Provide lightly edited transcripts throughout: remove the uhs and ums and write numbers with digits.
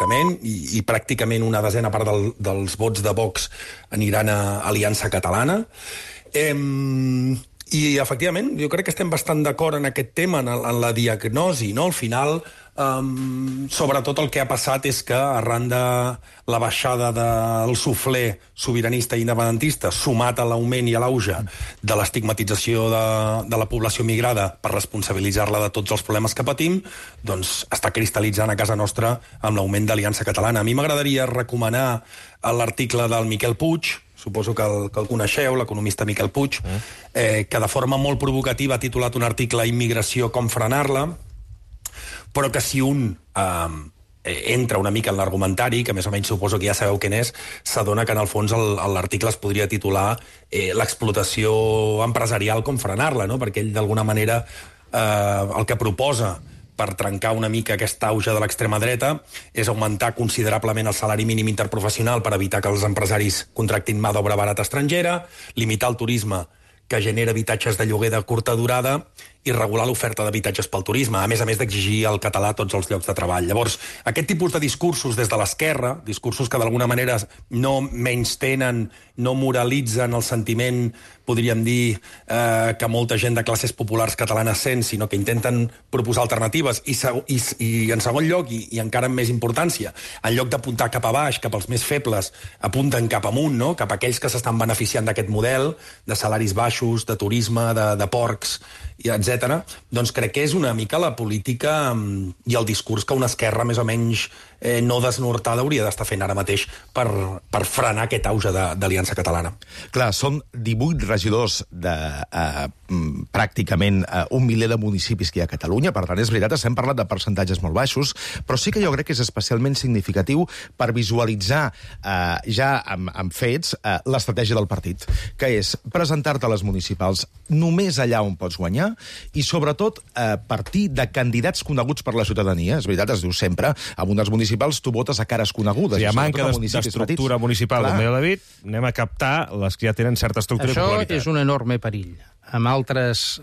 pràcticament, i pràcticament una desena part dels vots de Vox aniran a Aliança Catalana. I, efectivament, jo crec que estem bastant d'acord en aquest tema, en la diagnosi, no? Al final, sobretot el que ha passat és que, arran de la baixada del suflé sobiranista i independentista, sumat a l'augment i a l'auge de l'estigmatització de la població migrada per responsabilitzar-la de tots els problemes que patim, doncs està cristal·litzant a casa nostra amb l'augment d'Aliança Catalana. A mi m'agradaria recomanar l'article del Miquel Puig, suposo que el coneixeu, l'economista Miquel Puig, que de forma molt provocativa ha titulat un article Immigració, com frenar-la, però que si un entra una mica en l'argumentari, que més o menys suposo que ja sabeu què és, s'adona que en el fons l'article es podria titular l'explotació empresarial, com frenar-la, no? Perquè ell d'alguna manera el que proposa per trencar una mica aquest auge de l'extrema dreta és augmentar considerablement el salari mínim interprofessional per evitar que els empresaris contractin mà d'obra barata estrangera, limitar el turisme que genera habitatges de lloguer de curta durada i regular l'oferta d'habitatges pel turisme, a més d'exigir el català a tots els llocs de treball. Llavors, aquest tipus de discursos des de l'esquerra, discursos que d'alguna manera no menystenen, no moralitzen el sentiment, podríem dir, que molta gent de classes populars catalanes sent, sinó que intenten proposar alternatives, i en segon lloc, i encara amb més importància, en lloc d'apuntar cap a baix, cap als més febles, apunten cap amunt, no? Cap a aquells que s'estan beneficiant d'aquest model, de salaris baixos, de turisme, de porcs, etc. Doncs crec que és una mica la política i el discurs que una esquerra més o menys no desnortada hauria d'estar fent ara mateix per frenar aquest auge d'Aliança Catalana. Clar, són 18 regidors de pràcticament 1 miler de municipis que hi ha a Catalunya, per tant, és veritat, estem parlant de percentatges molt baixos, però sí que jo crec que és especialment significatiu per visualitzar ja amb fets l'estratègia del partit, que és presentar-te a les municipals només allà on pots guanyar i, sobretot, partir de candidats coneguts per la ciutadania. És veritat, es diu sempre, amb unes municipals tu votes a cares conegudes. Si hi ha manca d'estructura municipal, com deia David, anem a captar les que ja tenen certa estructura i popularitat. Això és un enorme perill. Amb altres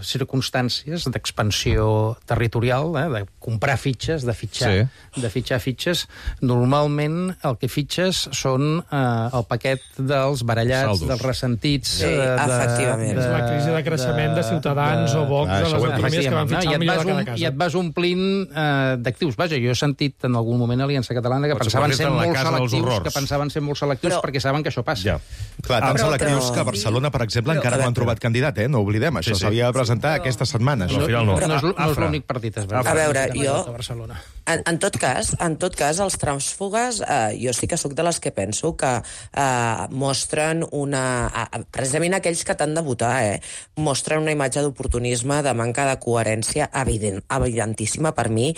circumstàncies d'expansió territorial, de comprar fitxes, de fitxar fitxes, normalment el que fitxes són el paquet dels barallats, saldos, dels ressentits... Sí, efectivament. És la crisi de creixement de Ciutadans o Vox a les autonomies que van fitxar millor a cada casa. I et vas omplint d'actius. Vaja, jo he sentit en algun moment Aliança Catalana que pensaven ser molt selectius perquè saben que això passa. Clar, tan selectius que a Barcelona, per exemple, encara no han trobat candidat. No oblidem, això s'havia de presentar aquesta setmana. No és l'únic partit. A veure, jo, en tot cas, els trànsfugues, jo sí que sóc de les que penso que mostren precisament aquells que t'han de votar, mostren una imatge d'oportunisme, de manca de coherència evidentíssima per mi,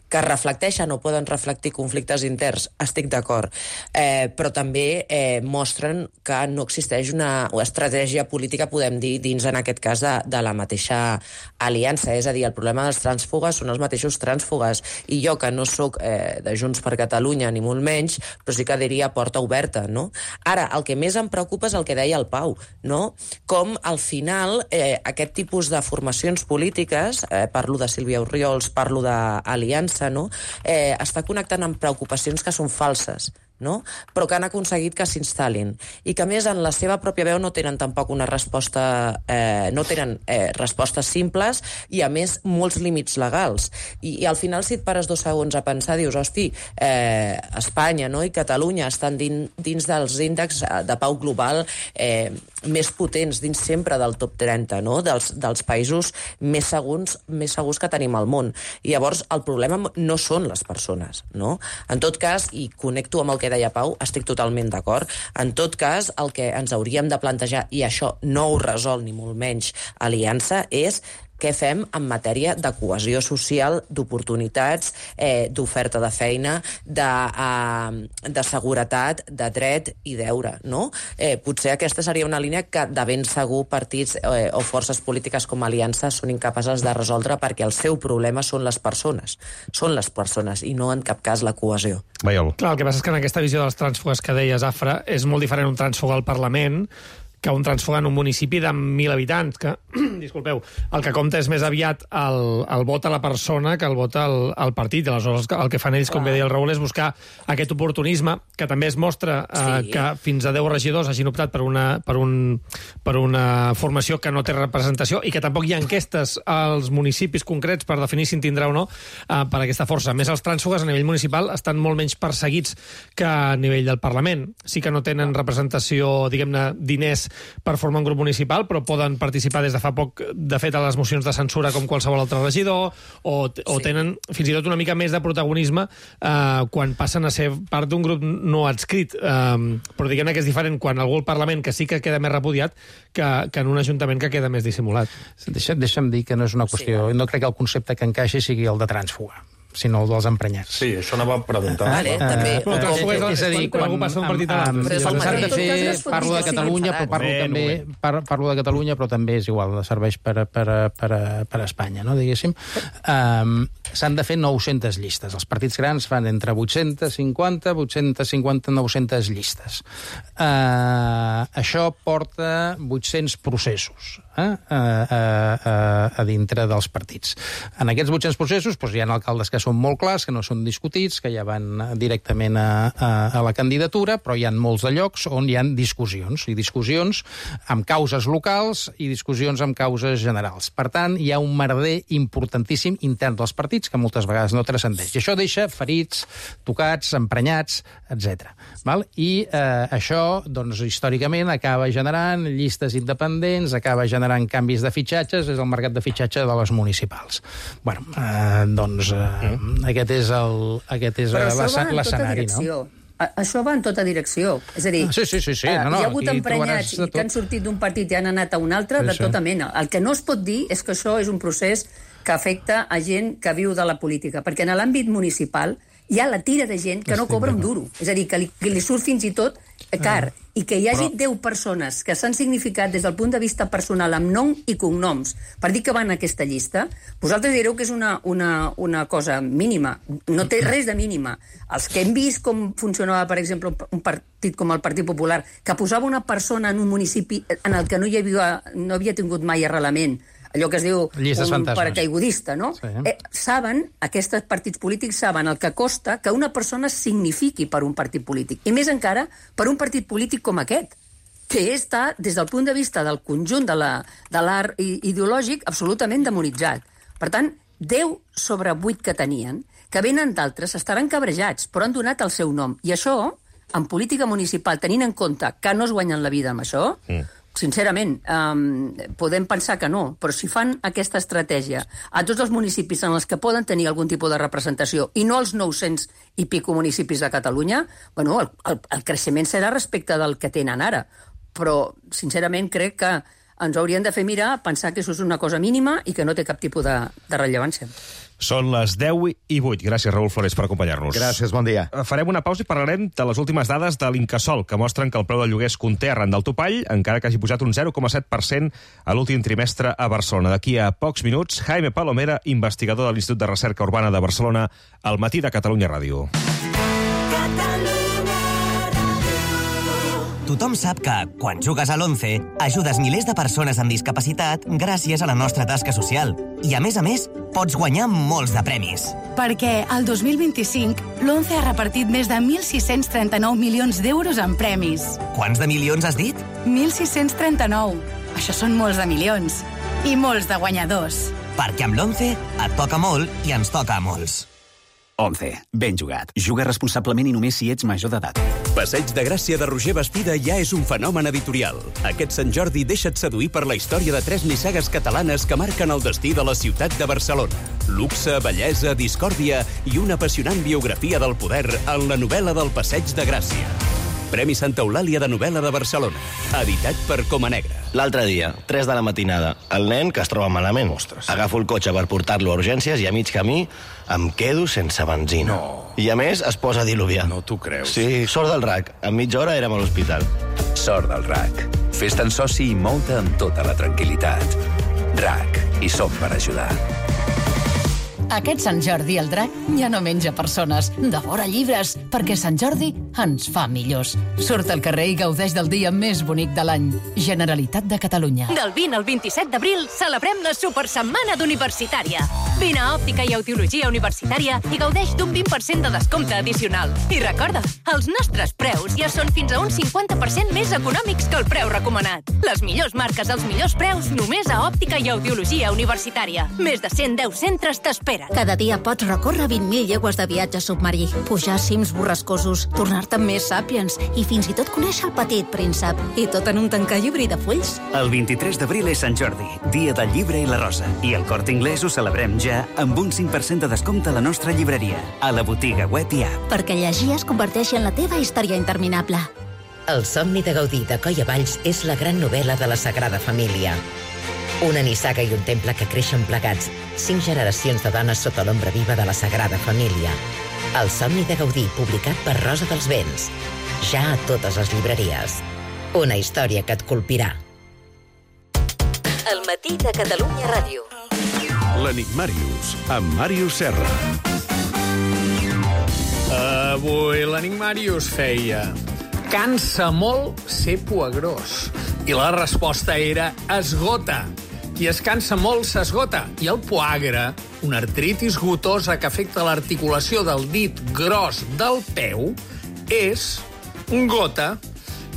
que reflecteixen o poden reflectir conflictes interns, estic d'acord, però també mostren que no existeix una estratègia política, podem dir, dins en aquest cas de la mateixa aliança. És a dir, el problema dels trànsfugues són els mateixos trànsfugues. I jo, que no sóc de Junts per Catalunya, ni molt menys, però sí que diria porta oberta, no? Ara, el que més em preocupa és el que deia el Pau, no? Com, al final, aquest tipus de formacions polítiques, parlo de Sílvia Orriols, parlo d'Aliança, no? Està connectant amb preocupacions que són falses, no? Però que han aconseguit que s'instal·lin i que, a més, en la seva pròpia veu no tenen tampoc una resposta, no tenen respostes simples i, a més, molts límits legals. I al final, si et pares 2 segons a pensar, dius, hosti, Espanya, no?, i Catalunya estan dins dels índexs de pau global més potents, dins sempre del top 30, no?, dels països més segurs que tenim al món. I llavors el problema no són les persones, no? En tot cas, i connecto amb el que deia Pau, estic totalment d'acord. En tot cas, el que ens hauríem de plantejar, i això no ho resol ni molt menys Aliança, és què fem en matèria de cohesió social, d'oportunitats, d'oferta de feina, de seguretat, de dret i deure, no? Potser aquesta seria una línia que de ben segur partits o forces polítiques com Aliança són incapaces de resoldre, perquè el seu problema són les persones i no en cap cas la cohesió. Clar, el que passa és que en aquesta visió dels trànsfugues que deies, Afra, és molt diferent un trànsfug al Parlament que un transfuga en un municipi de 1.000 habitants, que, disculpeu, el que compta és més aviat el vot a la persona que el vot al partit. Aleshores, el que fan ells, com bé deia el Raül, és buscar aquest oportunisme, que també es mostra que fins a 10 regidors hagin optat per una formació que no té representació i que tampoc hi ha enquestes als municipis concrets per definir si en tindrà o no per aquesta força. A més, els trànsfugues a nivell municipal estan molt menys perseguits que a nivell del Parlament. Sí que no tenen representació, diguem-ne, diners per formar un grup municipal, però poden participar des de fa poc, de fet, a les mocions de censura com qualsevol altre regidor, o tenen fins i tot una mica més de protagonisme quan passen a ser part d'un grup no adscrit. Però diguem-ne que és diferent quan algú al Parlament que sí que queda més repudiat que en un ajuntament que queda més dissimulat. Deixa'm dir que no és una qüestió... No crec que el concepte que encaixi sigui el de trànsfuga, sinó el dels emprenyats. Sí, això no va preguntar. També. És a dir, quan algú passa un partit a l'altre. S'ha de fer, parlo de Catalunya, però parlo de Catalunya, però també és igual, serveix per Espanya, no, diguéssim. S'han de fer 900 llistes. Els partits grans fan entre 850, 900 llistes. Això porta 800 processos a dintre dels partits. En aquests 800 processos hi ha alcaldes que són molt clars, que no són discutits, que ja van directament a la candidatura, però hi ha molts de llocs on hi ha discussions, i discussions amb causes locals i discussions amb causes generals. Per tant, hi ha un merder importantíssim intern dels partits que moltes vegades no transcendeix. I això deixa ferits, tocats, emprenyats, etc. I això, doncs, històricament acaba generant llistes independents, acaba generant canvis de fitxatges, és el mercat de fitxatge de les municipals. Bueno, doncs aquest és l'escenari, no? Això va en tota direcció. És a dir, hi ha hagut emprenyats que han sortit d'un partit i han anat a un altre de tota mena. El que no es pot dir és que això és un procés que afecta a gent que viu de la política, perquè en l'àmbit municipal hi ha la tira de gent que no cobra un duro. És a dir, que li surt fins i tot car. I que hi hagi 10 persones que s'han significat des del punt de vista personal amb nom i cognoms per dir que van a aquesta llista, vosaltres direu que és una cosa mínima. No té res de mínima. Els que hem vist com funcionava, per exemple, un partit com el Partit Popular, que posava una persona en un municipi en el que no havia tingut mai arrelament, allò que es diu un paracaigudista, no? Saben, aquests partits polítics saben el que costa que una persona signifiqui per un partit polític. I més encara per un partit polític com aquest, que està, des del punt de vista del conjunt de l'art ideològic, absolutament demonitzat. Per tant, 10 sobre 8 que tenien, que venen d'altres, estaran cabrejats, però han donat el seu nom. I això, en política municipal, tenint en compte que no es guanyen la vida amb això, sincerament, podem pensar que no, però si fan aquesta estratègia a tots els municipis en els que poden tenir algun tipus de representació i no als 900 i pico municipis de Catalunya, bueno, el creixement serà respecte del que tenen ara. Però, sincerament, crec que ens haurien de fer mirar, pensar que això és una cosa mínima i que no té cap tipus de rellevància. Són les 10:08. Gràcies, Raül Flores, per acompanyar-nos. Gràcies, bon dia. Farem una pausa i parlarem de les últimes dades de l'Incasòl, que mostren que el preu del lloguer es conté arran del topall, encara que hagi pujat un 0,7% a l'últim trimestre a Barcelona. D'aquí a pocs minuts, Jaime Palomera, investigador de l'Institut de Recerca Urbana de Barcelona, al Matí de Catalunya Ràdio. Tothom sap que, quan jugues a l'11, ajudes milers de persones amb discapacitat gràcies a la nostra tasca social. I, a més, pots guanyar molts de premis. Perquè el 2025 l'11 ha repartit més de 1.639 milions d'euros en premis. Quants de milions has dit? 1.639. Això són molts de milions. I molts de guanyadors. Perquè amb l'11 et toca molt i ens toca a molts. 11. Ben jugat. Juga responsablement i només si ets major d'edat. Passeig de Gràcia de Roger Bastida ja és un fenomen editorial. Aquest Sant Jordi deixa't seduir per la història de 3 nissagues catalanes que marquen el destí de la ciutat de Barcelona. Luxe, bellesa, discòrdia i una apassionant biografia del poder en la novel·la del Passeig de Gràcia. Premi Santa Eulàlia de novel·la de Barcelona. Editat per Coma Negra. L'altre dia, 3 de la matinada, el nen que es troba malament. Ostres. Agafo el cotxe per portar-lo a urgències i a mig camí em quedo sense benzina. No. I a més es posa a diluviar. No t'ho creus. Sí, sort del RAC. En mitja hora érem a l'hospital. Sort del RAC. Fes-te'n soci i mou-te amb tota la tranquil·litat. RAC. Hi som per ajudar. Aquest Sant Jordi el drac ja no menja persones, devora llibres, perquè Sant Jordi ens fa millors. Surt al carrer i gaudeix del dia més bonic de l'any. Generalitat de Catalunya. Del 20 al 27 d'abril celebrem la Supersetmana d'Universitària. Vine a Òptica i Audiologia Universitària i gaudeix d'un 20% de descompte addicional. I recorda, els nostres preus ja són fins a un 50% més econòmics que el preu recomanat. Les millors marques als millors preus només a Òptica i Audiologia Universitària. Més de 110 centres t'esperen. Cada dia pots recórrer 20.000 llegües de viatge submarí, pujar cims borrascosos, tornar-te més Sapiens i fins i tot conèixer el petit príncep. I tot en un tancallibri de fulls. El 23 d'abril és Sant Jordi, dia del llibre i la rosa. I al Corte Inglés ho celebrem ja amb un 5% de descompte a la nostra llibreria, a la botiga web i app. Perquè llegir es converteixi en la teva història interminable. El somni de Gaudí de Coll a Valls és la gran novel·la de la Sagrada Família. Una nissaga i un temple que creixen plegats, 5 generacions de dones sota l'ombra viva de la Sagrada Família. El somni de Gaudí, publicat per Rosa dels Vents. Ja a totes les llibreries. Una història que et colpirà. El matí de Catalunya Ràdio. L'Enigmàrius, amb Màrius Serra. Avui l'Enigmàrius feia: cansa molt ser poegrós. I la resposta era esgota. Qui es cansa molt s'esgota. I el poagre, una artritis gotosa que afecta l'articulació del dit gros del peu, és gota.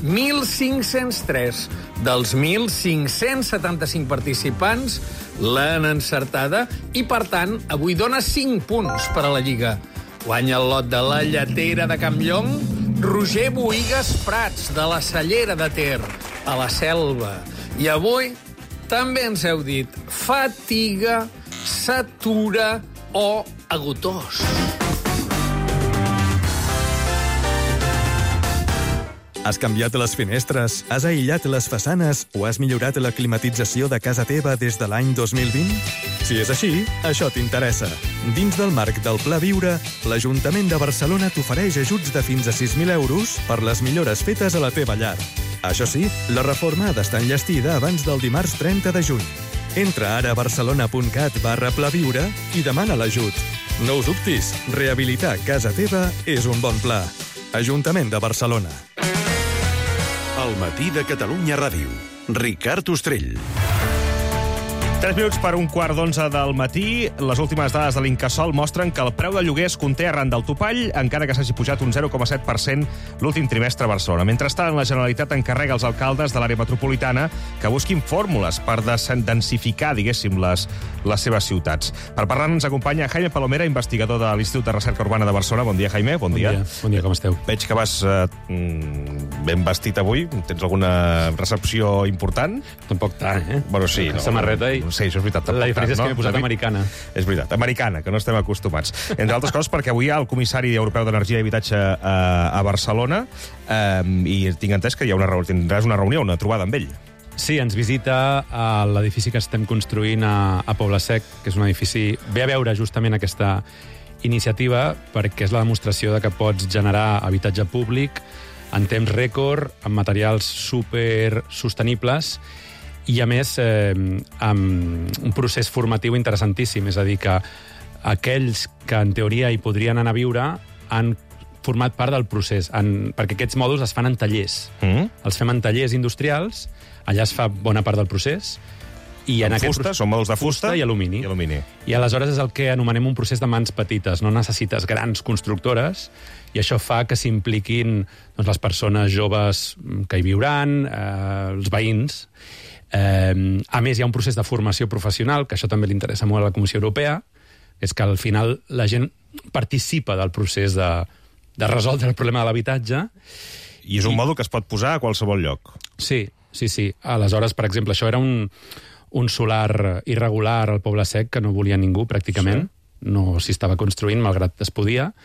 1.503 dels 1.575 participants l'han encertada i, per tant, avui dona 5 punts per a la Lliga. Guanya el lot de la Lletera de Campllong Roger Bohigas Prats, de la Cellera de Ter, a la Selva. I avui també ens heu dit fatiga, satura o agotós. Has canviat les finestres, has aïllat les façanes o has millorat la climatització de casa teva des de l'any 2020? Si és així, això t'interessa. Dins del marc del Pla Viure, l'Ajuntament de Barcelona t'ofereix ajuts de fins a 6.000 euros per les millores fetes a la teva llar. Això sí, la reforma ha d'estar enllestida abans del dimarts 30 de juny. Entra ara a barcelona.cat/plaviure i demana l'ajut. No us dubtis, rehabilitar casa teva és un bon pla. Ajuntament de Barcelona. El matí de Catalunya Ràdio. Ricard Ostrell. 3 minuts per 1:15 del matí. Les últimes dades de l'Incasòl mostren que el preu de lloguer es conté arran del topall, encara que s'hagi pujat un 0,7% l'últim trimestre a Barcelona. Mentrestant, la Generalitat encarrega als alcaldes de l'àrea metropolitana que busquin fórmules per densificar, diguéssim, les seves ciutats. Per parlar ens acompanya Jaime Palomera, investigador de l'Institut de Recerca Urbana de Barcelona. Bon dia, Jaime. Bon dia. Bon dia, com esteu? Veig que vas ben vestit avui. Tens alguna recepció important? Tampoc tant, eh? Bueno, sí. No? Samarreta i... Sí, això és veritat. La diferència és que m'he posat americana. És veritat, americana, que no estem acostumats. Entre altres coses, perquè avui hi ha el comissari europeu d'Energia i Habitatge a Barcelona i tinc entès que tindràs una reunió, una trobada amb ell. Sí, ens visita a l'edifici que estem construint a Poble Sec, que és un edifici... Ve a veure justament aquesta iniciativa perquè és la demostració de que pots generar habitatge públic en temps rècord, amb materials supersostenibles i, a més, amb un procés formatiu interessantíssim. És a dir, que aquells que, en teoria, hi podrien anar a viure han format part del procés, perquè aquests mòduls es fan en tallers. Els fem en tallers industrials, allà es fa bona part del procés, i en aquest fusta, són mòduls de fusta i alumini. I aleshores és el que anomenem un procés de mans petites. No necessites grans constructores, i això fa que s'impliquin les persones joves que hi viuran, els veïns. A més, hi ha un procés de formació professional, que això també li interessa molt a la Comissió Europea, és que al final la gent participa del procés de resoldre el problema de l'habitatge. I és un mòdul que es pot posar a qualsevol lloc. Sí. Aleshores, per exemple, això era un solar irregular al Poble Sec que no volia ningú, pràcticament. Sí. No s'hi estava construint, malgrat es podia,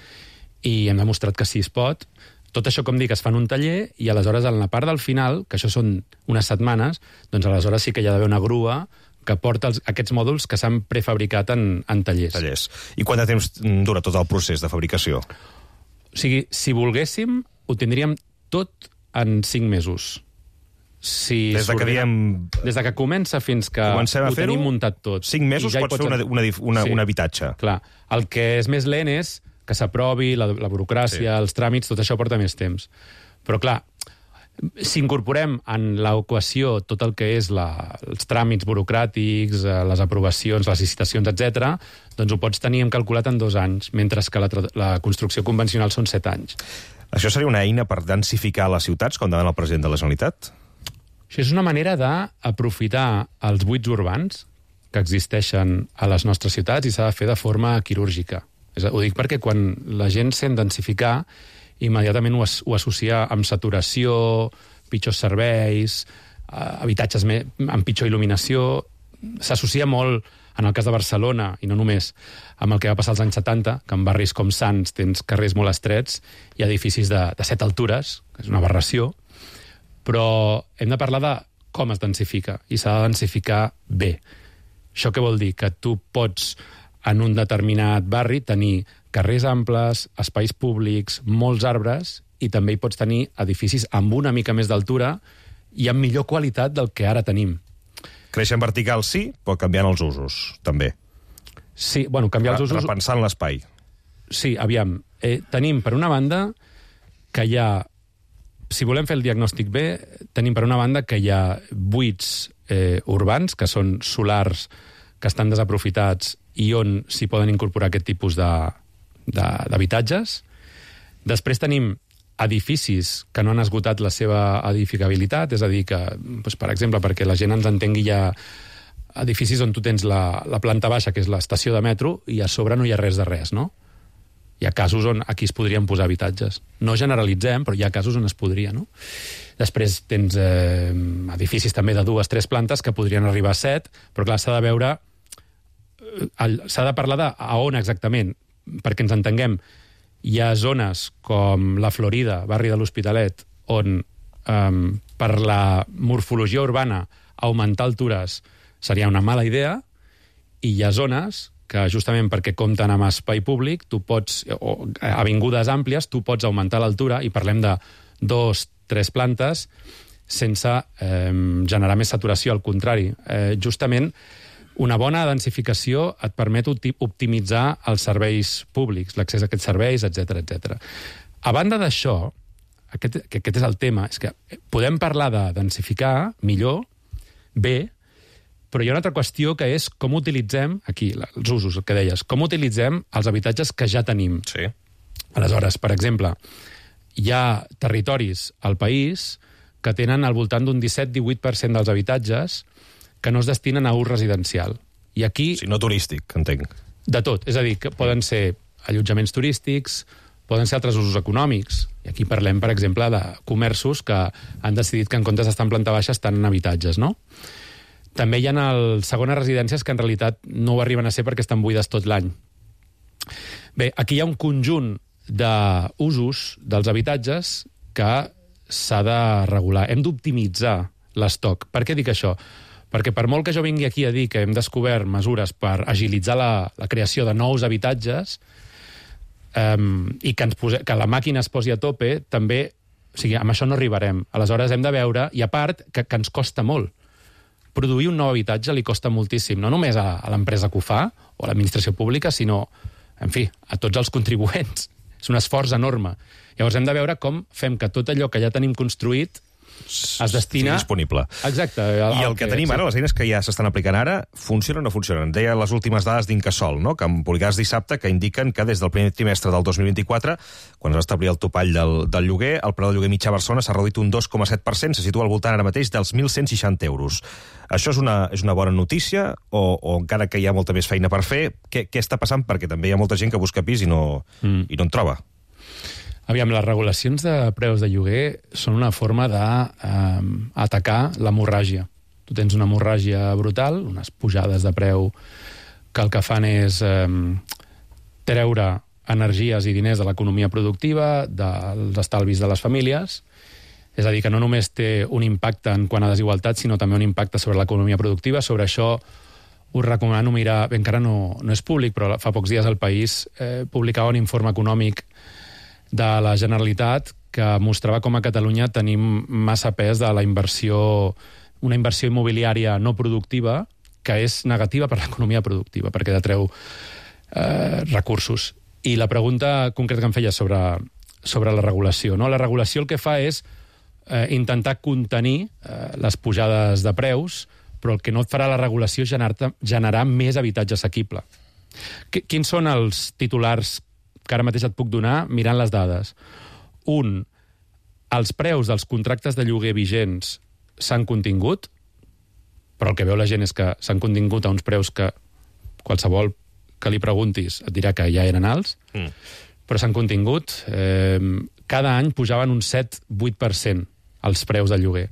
i hem demostrat que sí es pot. Tot això, com dic, es fa en un taller, i aleshores, en la part del final, que això són unes setmanes, doncs aleshores sí que hi ha d'haver una grua que porta aquests mòduls que s'han prefabricat en tallers. I quant de temps dura tot el procés de fabricació? O sigui, si volguéssim, ho tindríem tot en 5 mesos. si Des que comença fins que ho tenim muntat tot. 5 mesos pots fer un habitatge. Clar, el que és més lent és que s'aprovi, la burocràcia, els tràmits, tot això porta més temps. Però clar, si incorporem en l'equació tot el que és els tràmits burocràtics, les aprovacions, les licitacions, etc., doncs ho pots tenir calculat en 2 anys, mentre que la construcció convencional són 7 anys. Això seria una eina per densificar les ciutats, com demana el president de la Generalitat? Això és una manera d'aprofitar els buits urbans que existeixen a les nostres ciutats i s'ha de fer de forma quirúrgica. Ho dic perquè quan la gent sent densificar, immediatament ho associa amb saturació, pitjors serveis, habitatges amb pitjor il·luminació. S'associa molt, en el cas de Barcelona, i no només, amb el que va passar als anys 70, que en barris com Sants tens carrers molt estrets i edificis de 7 altures, que és una aberració, però hem de parlar de com es densifica, i s'ha de densificar bé. Això què vol dir? Que tu pots, en un determinat barri, tenir carrers amples, espais públics, molts arbres, i també hi pots tenir edificis amb una mica més d'altura i amb millor qualitat del que ara tenim. Créixer en vertical sí, però canviant els usos, també. Sí, bueno, canviar els usos... Repensant l'espai. Sí, aviam. Tenim, per una banda, que hi ha... Si volem fer el diagnòstic bé, tenim, per una banda, que hi ha buits urbans, que són solars, que estan desaprofitats i on s'hi poden incorporar aquest tipus d'habitatges. Després tenim edificis que no han esgotat la seva edificabilitat, és a dir, que, per exemple, perquè la gent ens entengui, hi ha edificis on tu tens la planta baixa, que és l'estació de metro, i a sobre no hi ha res de res, no? Hi ha casos on aquí es podrien posar habitatges. No generalitzem, però hi ha casos on es podria, no? Després tens edificis també de 2-3 plantes que podrien arribar a 7, però clar, s'ha de veure... S'ha de parlar de a on exactament, perquè ens entenguem. Hi ha zones com la Florida, barri de l'Hospitalet, on per la morfologia urbana augmentar altures seria una mala idea, i hi ha zones que justament perquè compten amb espai públic, tu pots, o avingudes àmplies, tu pots augmentar l'altura, i parlem de 2-3 plantes, sense generar més saturació, al contrari. Justament, una bona densificació et permet optimitzar els serveis públics, l'accés a aquests serveis, etc. A banda d'això, aquest és el tema, és que podem parlar de densificar millor, bé, però hi ha una altra qüestió que és com utilitzem, aquí, els usos, el que deies, com utilitzem els habitatges que ja tenim. Sí. Aleshores, per exemple, hi ha territoris al país que tenen al voltant d'un 17-18% dels habitatges que no es destinen a ús residencial. I aquí... Sí, no turístic, entenc. De tot. És a dir, que poden ser allotjaments turístics, poden ser altres usos econòmics. I aquí parlem, per exemple, de comerços que han decidit que en comptes d'estar en planta baixa estan en habitatges, no? També hi ha segones residències que en realitat no ho arriben a ser perquè estan buides tot l'any. Bé, aquí hi ha un conjunt d'usos dels habitatges que s'ha de regular. Hem d'optimitzar l'estoc. Per què dic això? Perquè per molt que jo vingui aquí a dir que hem descobert mesures per agilitzar la creació de nous habitatges i que la màquina es posi a tope, també, o sigui, amb això no arribarem. Aleshores hem de veure, i a part, que ens costa molt. Produir un nou habitatge li costa moltíssim, no només a l'empresa que ho fa, o a l'administració pública, sinó, en fi, a tots els contribuents. És un esforç enorme. Llavors hem de veure com fem que tot allò que ja tenim construït es destina... Sí, disponible. Exacte. I el que tenim ara, les eines que ja s'estan aplicant ara, funcionen o no funcionen? Deia les últimes dades d'Incasòl, no?, que em publicàs dissabte, que indiquen que des del primer trimestre del 2024, quan es va establir el topall del lloguer, el preu del lloguer mitjà a Barcelona s'ha reduït un 2,7%, se situa al voltant ara mateix dels 1.160 euros. Això és una bona notícia o encara que hi ha molta més feina per fer? Què està passant? Perquè també hi ha molta gent que busca pis i no en troba. Aviam, les regulacions de preus de lloguer són una forma d'atacar l'hemorràgia. Tu tens una hemorràgia brutal, unes pujades de preu que el que fan és treure energies i diners de l'economia productiva, dels estalvis de les famílies. És a dir, que no només té un impacte en quant a desigualtat, sinó també un impacte sobre l'economia productiva. Sobre això us recomano mirar... Bé, encara no és públic, però fa pocs dies El País publicava un informe econòmic de la Generalitat que mostrava com a Catalunya tenim massa pes de la inversió, una inversió immobiliària no productiva, que és negativa per l'economia productiva, perquè detreu recursos. I la pregunta concreta que em feia sobre la regulació. No? La regulació el que fa és intentar contenir les pujades de preus, però el que no et farà la regulació és generar més habitatge assequible. Quins són els titulars que ara mateix et puc donar mirant les dades? Un, els preus dels contractes de lloguer vigents s'han contingut, però el que veu la gent és que s'han contingut a uns preus que qualsevol que li preguntis et dirà que ja eren alts, però s'han contingut. Cada any pujaven un 7-8% els preus del lloguer.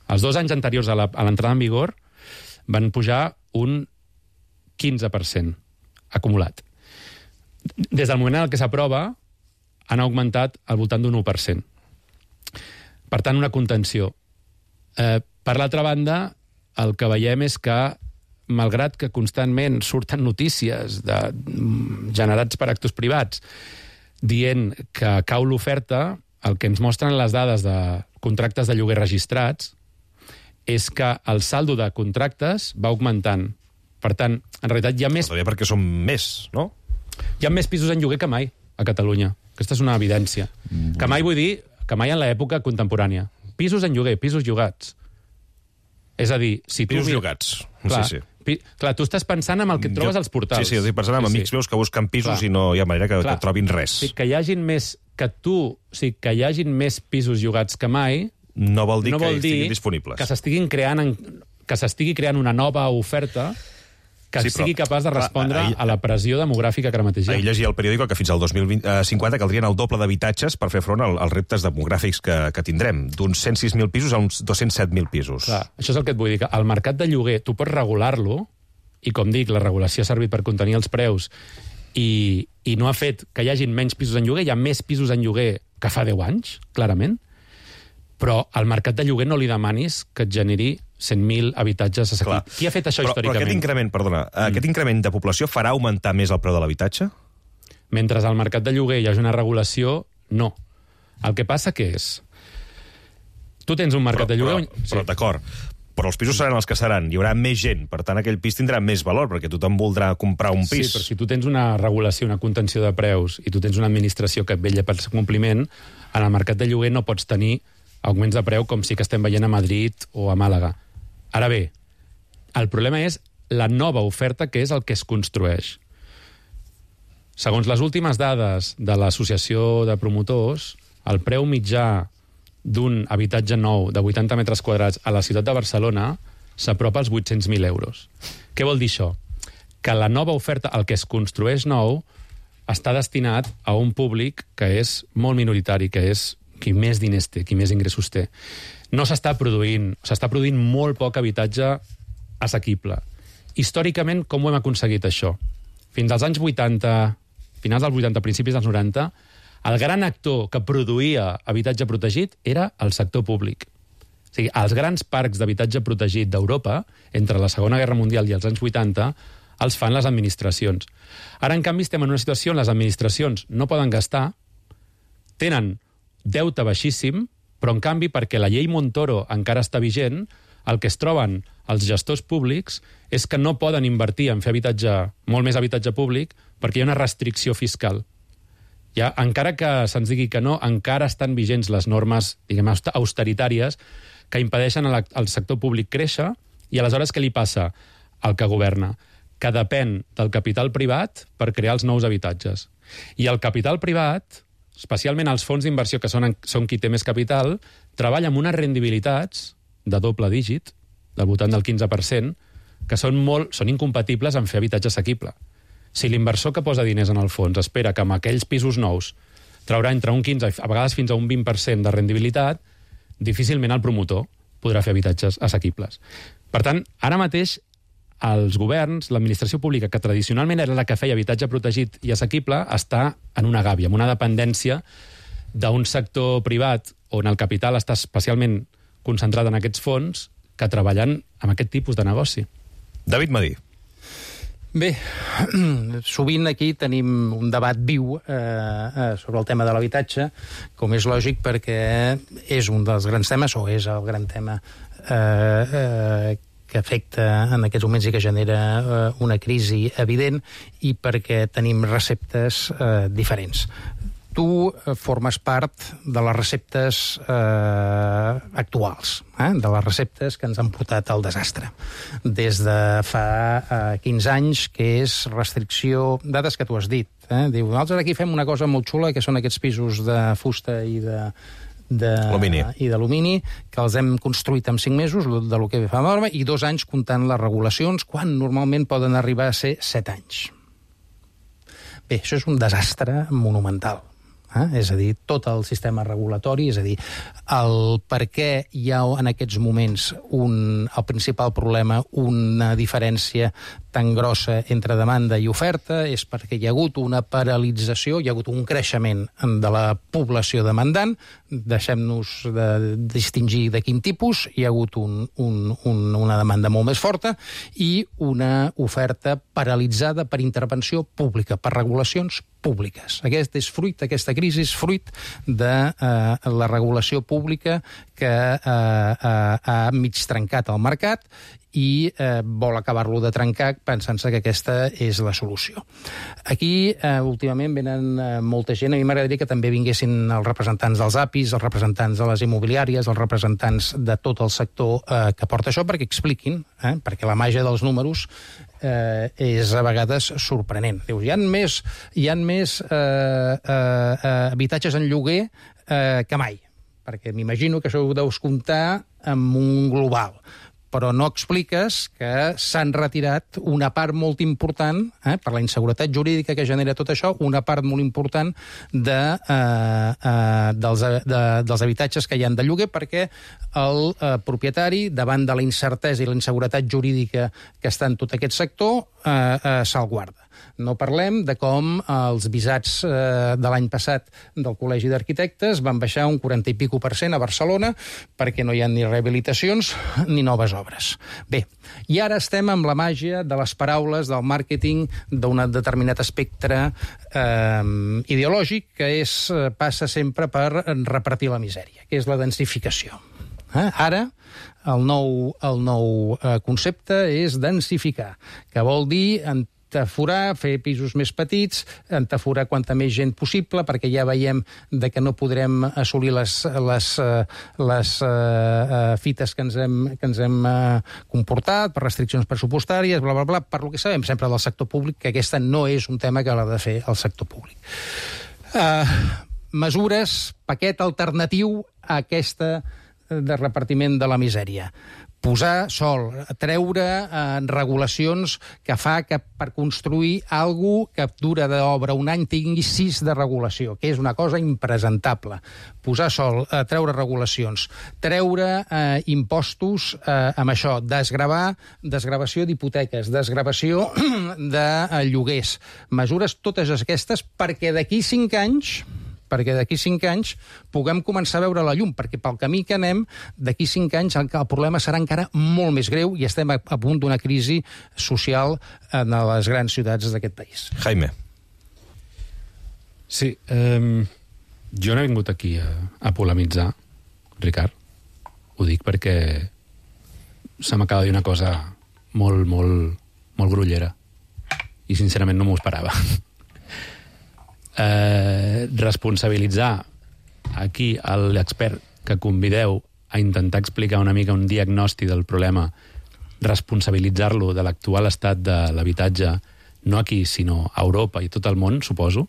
Els 2 anys anteriors a l'entrada en vigor van pujar un 15% acumulat. Des del moment en què s'aprova, han augmentat al voltant d'un 1%. Per tant, una contenció. Per l'altra banda, el que veiem és que, malgrat que constantment surten notícies generats per actors privats dient que cau l'oferta, el que ens mostren les dades de contractes de lloguer registrats és que el saldo de contractes va augmentant. Per tant, en realitat hi ha més... Perquè són més, no? Hi ha més pisos en lloguer que mai a Catalunya. Aquesta és una evidència. Que mai vull dir, que mai en l'època contemporània. Pisos en lloguer, pisos llogats. És a dir, si tu... Pisos llogats, clar, sí. Clar, tu estàs pensant en el que et trobes als portals. Sí, estic pensant en amics meus que busquen pisos i no hi ha manera que trobin res. Que hi hagin més... que hi hagin més pisos llogats que mai... No vol dir que estiguin disponibles. Que s'estigui creant una nova oferta que sigui capaç de respondre a la pressió demogràfica que ara mateix hi ha. Ahir llegia al periòdic que fins al 2050 caldrien el doble d'habitatges per fer front als reptes demogràfics que tindrem, d'uns 106.000 pisos a uns 207.000 pisos. Clar, això és el que et vull dir, que el mercat de lloguer tu pots regular-lo, i com dic, la regulació ha servit per contenir els preus, i no ha fet que hi hagin menys pisos en lloguer, hi ha més pisos en lloguer que fa 10 anys, clarament, però al mercat de lloguer no li demanis que et generi 100.000 habitatges assequibles. Qui ha fet això històricament? Però aquest increment de població farà augmentar més el preu de l'habitatge? Mentre al mercat de lloguer hi hagi una regulació, no. El que passa que és... Tu tens un mercat de lloguer... Però d'acord, però els pisos seran els que seran, hi haurà més gent, per tant aquell pis tindrà més valor, perquè tothom voldrà comprar un pis. Sí, però si tu tens una regulació, una contenció de preus, i tu tens una administració que et vetlla pel compliment, en el mercat de lloguer no pots tenir augments de preu com sí que estem veient a Madrid o a Màlaga. Ara bé, el problema és la nova oferta, que és el que es construeix. Segons les últimes dades de l'Associació de Promotors, el preu mitjà d'un habitatge nou de 80 metres quadrats a la ciutat de Barcelona s'apropa als 800.000 euros. Què vol dir això? Que la nova oferta, el que es construeix nou, està destinat a un públic que és molt minoritari, que és qui més diners té, qui més ingressos té. No s'està produint molt poc habitatge assequible. Històricament, com ho hem aconseguit, això? Fins als anys 80, finals dels 80, principis dels 90, el gran actor que produïa habitatge protegit era el sector públic. O sigui, els grans parcs d'habitatge protegit d'Europa, entre la Segona Guerra Mundial i els anys 80, els fan les administracions. Ara, en canvi, estem en una situació on les administracions no poden gastar, tenen deute baixíssim, però en canvi, perquè la llei Montoro encara està vigent, el que es troben els gestors públics és que no poden invertir en fer molt més habitatge públic perquè hi ha una restricció fiscal. Encara que se'ns digui que no, encara estan vigents les normes, diguem, austeritàries que impedeixen al sector públic créixer, i aleshores què li passa al que governa? Que depèn del capital privat per crear els nous habitatges. I el capital privat, especialment els fons d'inversió, que són qui té més capital, treballa amb unes rendibilitats de doble dígit, del voltant del 15%, que són incompatibles amb fer habitatge assequible. Si l'inversor que posa diners en el fons espera que amb aquells pisos nous traurà entre un 15, a vegades fins a un 20% de rendibilitat, difícilment el promotor podrà fer habitatges assequibles. Per tant, ara mateix, els governs, l'administració pública, que tradicionalment era la que feia habitatge protegit i assequible, està en una gàbia, en una dependència d'un sector privat on el capital està especialment concentrat en aquests fons que treballen amb aquest tipus de negoci. David Madí. Bé, sovint aquí tenim un debat viu sobre el tema de l'habitatge, com és lògic, perquè és un dels grans temes, o és el gran tema que afecta en aquests moments i que genera una crisi evident, i perquè tenim receptes diferents. Tu formes part de les receptes actuals, de les receptes que ens han portat al desastre. Des de fa 15 anys, que és restricció... Dades que tu has dit. Diu, nosaltres aquí fem una cosa molt xula, que són aquests pisos de fusta i d'alumini, que els hem construït en 5 mesos, de lo que fa la norma, i 2 anys comptant les regulacions, quan normalment poden arribar a ser 7 anys. Bé, això és un desastre monumental. És a dir, tot el sistema regulatori, és a dir, el per què hi ha en aquests moments el principal problema, una diferència tan grossa entre demanda i oferta, és perquè hi ha hagut una paralització, hi ha hagut un creixement de la població demandant, deixem-nos de distingir de quin tipus, hi ha hagut una demanda molt més forta i una oferta paralitzada per intervenció pública, per regulacions públiques. Aquesta crisi és fruit de la regulació pública que ha mig trencat el mercat i vol acabar-lo de trencar pensant-se que aquesta és la solució. Aquí, últimament, venen molta gent. A mi m'agradaria que també vinguessin els representants dels APIs, els representants de les immobiliàries, els representants de tot el sector que porta això, perquè expliquin, perquè la màgia dels números és a vegades sorprenent. Dius, hi ha més habitatges en lloguer que mai, perquè m'imagino que això ho deus comptar amb un global, però no expliques que s'han retirat una part molt important, per la inseguretat jurídica que genera tot això, una part molt important dels habitatges que hi ha de lloguer, perquè el propietari, davant de la incertesa i la inseguretat jurídica que està en tot aquest sector, se'l guarda. No parlem de com els visats de l'any passat del Col·legi d'Arquitectes van baixar un 40 i pico % a Barcelona perquè no hi ha ni rehabilitacions ni noves obres. Bé, i ara estem amb la màgia de les paraules, del màrqueting, d'un determinat espectre ideològic que passa sempre per repartir la misèria, que és la densificació. Ara, el nou concepte és densificar, que vol dir entaforar, fer pisos més petits, entaforar quanta més gent possible, perquè ja veiem que no podrem assolir les fites que ens hem comportat per restriccions pressupostàries, bla, bla, bla, per lo que sabem sempre del sector públic, que aquesta no és un tema que l'ha de fer el sector públic. Mesures, paquet alternatiu a aquesta de repartiment de la misèria. Posar sol, treure regulacions que fa que per construir alguna que dura d'obra un any tingui 6 de regulació, que és una cosa impresentable. Posar sol, treure regulacions, treure impostos amb això, desgravació d'hipoteques, desgravació de lloguers, mesures totes aquestes perquè d'aquí 5 anys puguem començar a veure la llum, perquè pel camí que anem, d'aquí 5 anys el problema serà encara molt més greu i estem a punt d'una crisi social en les grans ciutats d'aquest país. Jaime. Sí, jo no he vingut aquí a polemitzar, Ricard. Ho dic perquè se m'acaba de dir una cosa molt, molt, molt grollera i sincerament no m'ho esperava. Responsabilitzar aquí l'expert que convideu a intentar explicar una mica un diagnòstic del problema, responsabilitzar-lo de l'actual estat de l'habitatge, no aquí, sinó a Europa i tot el món, suposo.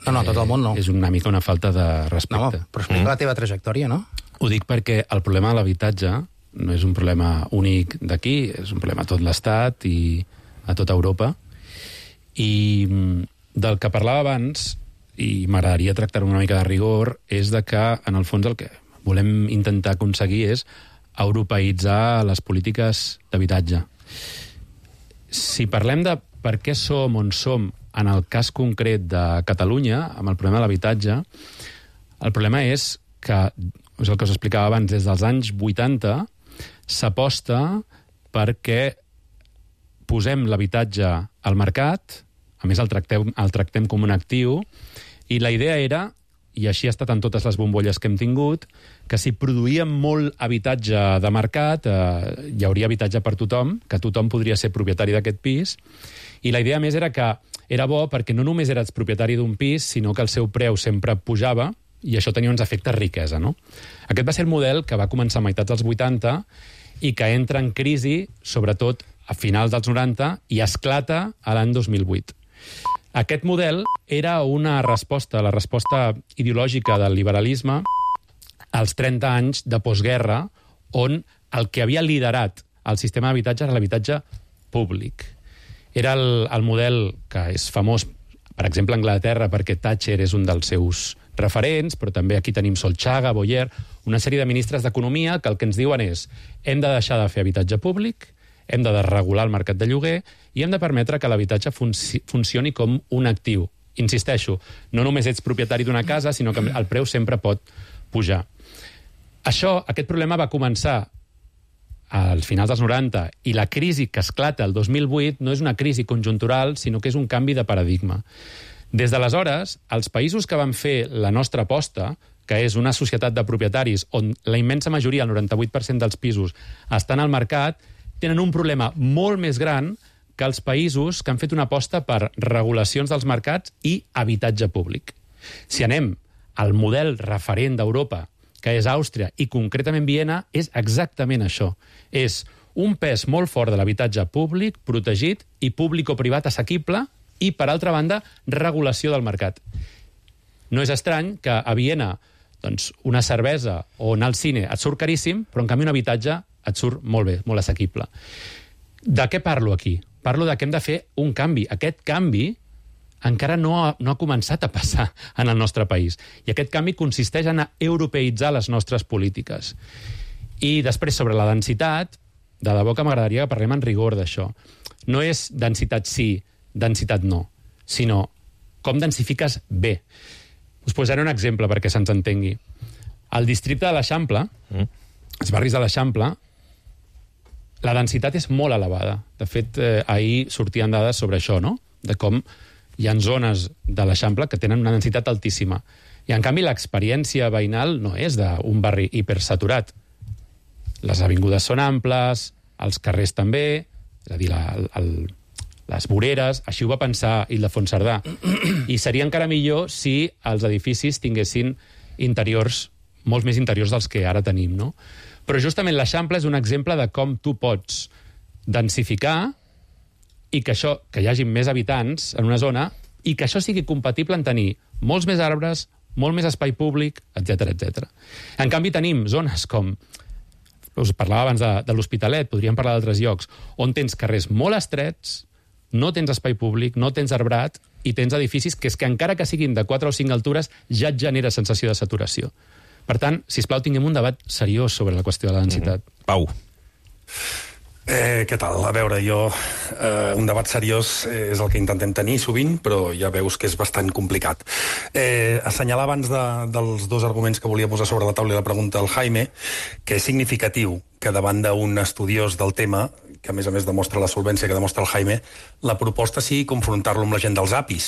No, tot el món no. És una mica una falta de respecte. No, però explica la teva trajectòria, no? Ho dic perquè el problema de l'habitatge no és un problema únic d'aquí, és un problema a tot l'Estat i a tota Europa. I del que parlava abans, i m'agradaria tractar-ho una mica de rigor, és de que, en el fons, el que volem intentar aconseguir és europeïtzar les polítiques d'habitatge. Si parlem de per què som on som en el cas concret de Catalunya, amb el problema de l'habitatge, el problema és que, és el que us explicava abans, des dels anys 80 s'aposta perquè posem l'habitatge al mercat, a més el tractem com un actiu, i la idea era, i així ha estat en totes les bombolles que hem tingut, que si produïem molt habitatge de mercat, hi hauria habitatge per tothom, que tothom podria ser propietari d'aquest pis, i la idea més era que era bo perquè no només eres propietari d'un pis, sinó que el seu preu sempre pujava, i això tenia uns efectes riquesa, no? Aquest va ser el model que va començar a meitats dels 80 i que entra en crisi, sobretot a finals dels 90, i esclata a l'any 2008. Aquest model era una resposta, la resposta ideològica del liberalisme als 30 anys de postguerra, on el que havia liderat el sistema d'habitatge era l'habitatge públic. Era el model que és famós, per exemple, a Anglaterra, perquè Thatcher és un dels seus referents, però també aquí tenim Solchaga, Boyer, una sèrie de ministres d'Economia que el que ens diuen és hem de deixar de fer habitatge públic, hem de desregular el mercat de lloguer i hem de permetre que l'habitatge funcioni com un actiu. Insisteixo, no només ets propietari d'una casa, sinó que el preu sempre pot pujar. Aquest problema va començar als finals dels 90 i la crisi que esclata el 2008 no és una crisi conjuntural, sinó que és un canvi de paradigma. Des d'aleshores, els països que van fer la nostra aposta, que és una societat de propietaris on la immensa majoria, el 98% dels pisos, estan al mercat, tenen un problema molt més gran que els països que han fet una aposta per regulacions dels mercats i habitatge públic. Si anem al model referent d'Europa, que és Àustria, i concretament Viena, és exactament això. És un pes molt fort de l'habitatge públic, protegit, i públic o privat assequible, i, per altra banda, regulació del mercat. No és estrany que a Viena una cervesa o anar al cine et surt caríssim, però en canvi un habitatge et surt molt bé, molt assequible. De què parlo aquí? Parlo de que hem de fer un canvi. Aquest canvi encara no ha començat a passar en el nostre país. I aquest canvi consisteix en europeïtzar les nostres polítiques. I després, sobre la densitat, de debò que m'agradaria que parlem en rigor d'això. No és densitat sí, densitat no, sinó com densifiques bé. Us posaré un exemple perquè se'ns entengui. Al districte de l'Eixample, els barris de l'Eixample, la densitat és molt elevada. De fet, ahir sortien dades sobre això, no? De com hi ha zones de l'Eixample que tenen una densitat altíssima. I, en canvi, l'experiència veïnal no és d'un barri hipersaturat. Les avingudes són amples, els carrers també, és a dir, les voreres, així ho va pensar Ildefons Cerdà. I seria encara millor si els edificis tinguessin interiors, molts més interiors dels que ara tenim, no? Però justament l'Eixample és un exemple de com tu pots densificar i que hi hagi més habitants en una zona i que això sigui compatible en tenir molts més arbres, molt més espai públic, etc. En canvi, tenim zones com, us parlava abans de l'Hospitalet, podríem parlar d'altres llocs, on tens carrers molt estrets, no tens espai públic, no tens arbrat i tens edificis que encara que siguin de 4 o 5 altures ja et genera sensació de saturació. Per tant, sisplau, tinguem un debat seriós sobre la qüestió de la densitat. Pau. Què tal? A veure, un debat seriós és el que intentem tenir sovint, però ja veus que és bastant complicat. Assenyalar abans dels dos arguments que volia posar sobre la taula i la pregunta al Jaime, que és significatiu que davant d'un estudiós del tema, que a més demostra la solvència que demostra el Jaime, la proposta sigui confrontar-lo amb la gent dels APIs.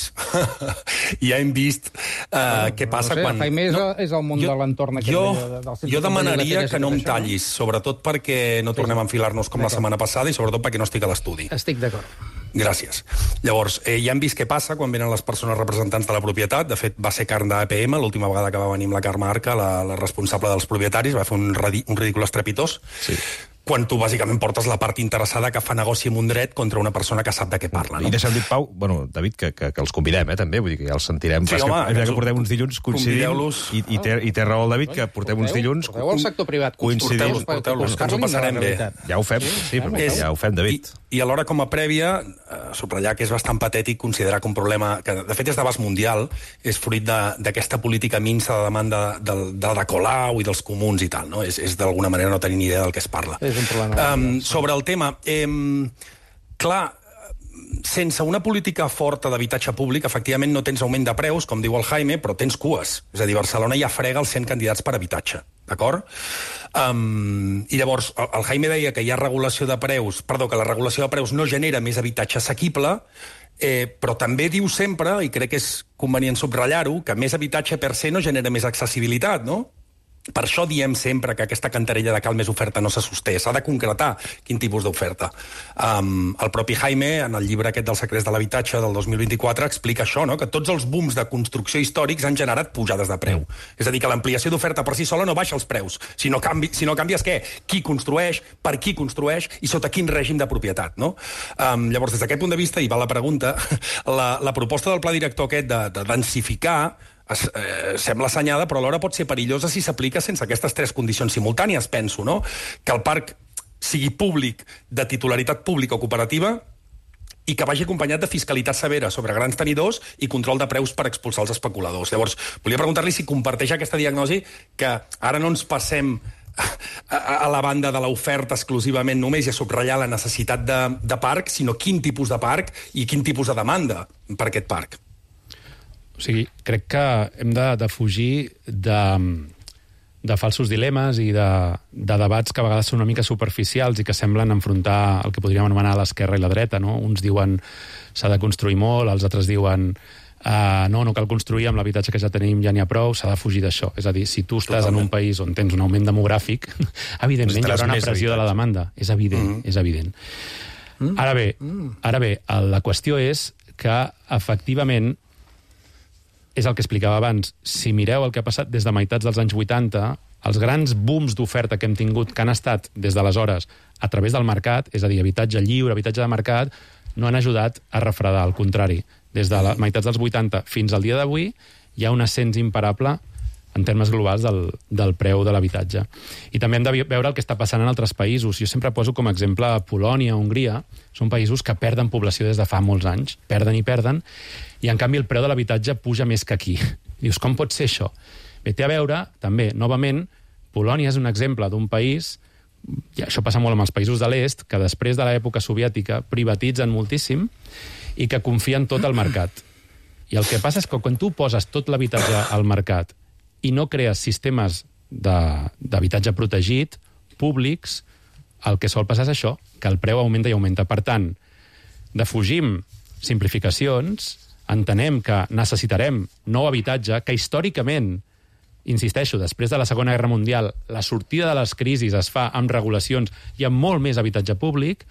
I ja hem vist què passa quan... El Jaime és el món de l'entorn. Jo demanaria que no em tallis, sobretot perquè no tornem a enfilar-nos com la setmana passada i sobretot perquè no estic a l'estudi. Estic d'acord. Gràcies. Llavors, ja hem vist què passa quan venen les persones representants de la propietat. De fet, va ser carn d'APM, l'última vegada que va venir amb la Carme Arca, la responsable dels propietaris, va fer un ridícul estrepitós. Sí. Quan tu bàsicament portes la part interessada que fa negoci amb un dret contra una persona que sap de què parla. No? I deixa'm dir, Pau, David, que els convidem, també, vull dir que ja els sentirem. Sí, home, que portem uns dilluns coincidim, i té raó el David, que portem uns dilluns... Porteu al sector privat. Porteu-los, que ens ho passarem bé. Ja ho fem, sí, ja ho fem, David. I alhora, com a prèvia, subratllar que és bastant patètic considerar que un problema, que de fet és d'abast mundial, és fruit d'aquesta política minsa de demanda de Colau i dels comuns i tal, no? És d'alguna manera no tenir ni idea del que es parla. Sobre el tema, clar, sense una política forta d'habitatge públic, efectivament no tens augment de preus, com diu el Jaime, però tens cues. És a dir, Barcelona ja frega els 100 candidats per habitatge. d'acord? I llavors, el Jaime deia que hi ha regulació de preus, que la regulació de preus no genera més habitatge assequible, però també diu sempre, i crec que és convenient subratllar-ho, que més habitatge per se no genera més accessibilitat, no? Per això diem sempre que aquesta cantarella de cal més oferta no se sosté. S'ha de concretar quin tipus d'oferta. El propi Jaime, en el llibre aquest dels secrets de l'habitatge del 2024, explica això, no? Que tots els booms de construcció històrics han generat pujades de preu. És a dir, que l'ampliació d'oferta per si sola no baixa els preus. Si no canvies què? Qui construeix, per qui construeix i sota quin règim de propietat, no? Llavors, des d'aquest punt de vista, i va la pregunta, la proposta del pla director aquest de densificar sembla assenyada, però alhora pot ser perillosa si s'aplica sense aquestes tres condicions simultànies, penso, no? Que el parc sigui públic, de titularitat pública o cooperativa, i que vagi acompanyat de fiscalitat severa sobre grans tenidors i control de preus per expulsar els especuladors. Llavors, volia preguntar-li si comparteix aquesta diagnosi, que ara no ens passem a la banda de l'oferta exclusivament només i a subratllar la necessitat de parc, sinó quin tipus de parc i quin tipus de demanda per aquest parc. O sigui, crec que hem de fugir de falsos dilemes i de debats que a vegades són una mica superficials i que semblen enfrontar el que podríem anomenar l'esquerra i la dreta, no? Uns diuen s'ha de construir molt, els altres diuen no cal construir, amb l'habitatge que ja tenim ja n'hi ha prou, s'ha de fugir d'això. És a dir, si tu estàs en un país on tens un augment demogràfic, evidentment hi haurà una pressió de la demanda. És evident, és evident. Ara bé, la qüestió és que, efectivament, és el que explicava abans. Si mireu el que ha passat des de meitats dels anys 80, els grans booms d'oferta que hem tingut, que han estat des d'aleshores a través del mercat, és a dir, habitatge lliure, habitatge de mercat, no han ajudat a refredar. Al contrari, des de meitats dels 80 fins al dia d'avui hi ha un ascens imparable en termes globals del preu de l'habitatge. I també hem de veure el que està passant en altres països. Jo sempre poso com a exemple Polònia, Hongria. Són països que perden població des de fa molts anys. Perden, i en canvi el preu de l'habitatge puja més que aquí. Dius, com pot ser això? Bé, té a veure, també, novament, Polònia és un exemple d'un país, i això passa molt amb els països de l'est, que després de l'època soviètica privatitzen moltíssim i que confien tot al mercat. I el que passa és que quan tu poses tot l'habitatge al mercat i no crees sistemes d'habitatge protegit, públics, el que sol passar és això, que el preu augmenta i augmenta. Per tant, defugim simplificacions, entenem que necessitarem nou habitatge, que històricament, insisteixo, després de la Segona Guerra Mundial, la sortida de les crisis es fa amb regulacions i amb molt més habitatge públic,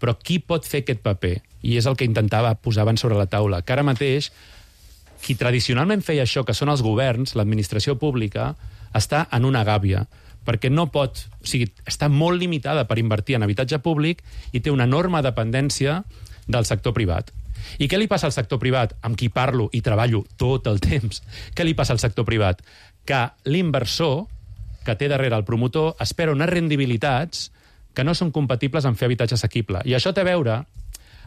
però qui pot fer aquest paper? I és el que intentava posar abans sobre la taula, que ara mateix qui tradicionalment feia això, que són els governs, l'administració pública, està en una gàbia, perquè no pot... O sigui, està molt limitada per invertir en habitatge públic i té una enorme dependència del sector privat. I què li passa al sector privat, amb qui parlo i treballo tot el temps? Què li passa al sector privat? Que l'inversor, que té darrere el promotor, espera unes rendibilitats que no són compatibles amb fer habitatge assequible. I això té a veure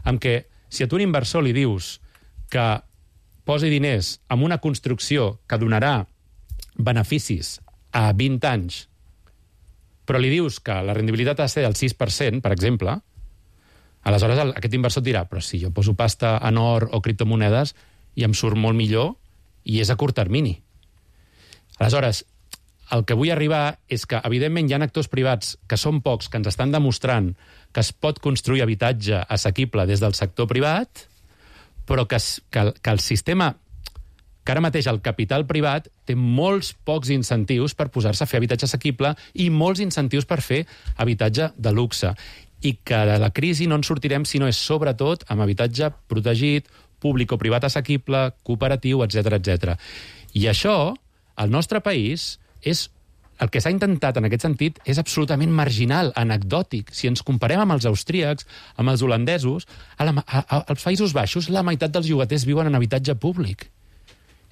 amb que si a tu un inversor li dius que posi diners en una construcció que donarà beneficis a 20 anys, però li dius que la rendibilitat ha de ser del 6%, per exemple, aleshores aquest inversor et dirà, però si jo poso pasta en or o criptomonedes i em surt molt millor i és a curt termini. Aleshores, el que vull arribar és que, evidentment, hi ha actors privats que són pocs, que ens estan demostrant que es pot construir habitatge assequible des del sector privat, però que el sistema, que ara mateix el capital privat té molts pocs incentius per posar-se a fer habitatge assequible i molts incentius per fer habitatge de luxe. I que de la crisi no en sortirem si no és sobretot amb habitatge protegit, públic o privat assequible, cooperatiu, etc. I això, al nostre país, el que s'ha intentat en aquest sentit és absolutament marginal, anecdòtic. Si ens comparem amb els austríacs, amb els holandesos, als Països Baixos la meitat dels llogaters viuen en habitatge públic.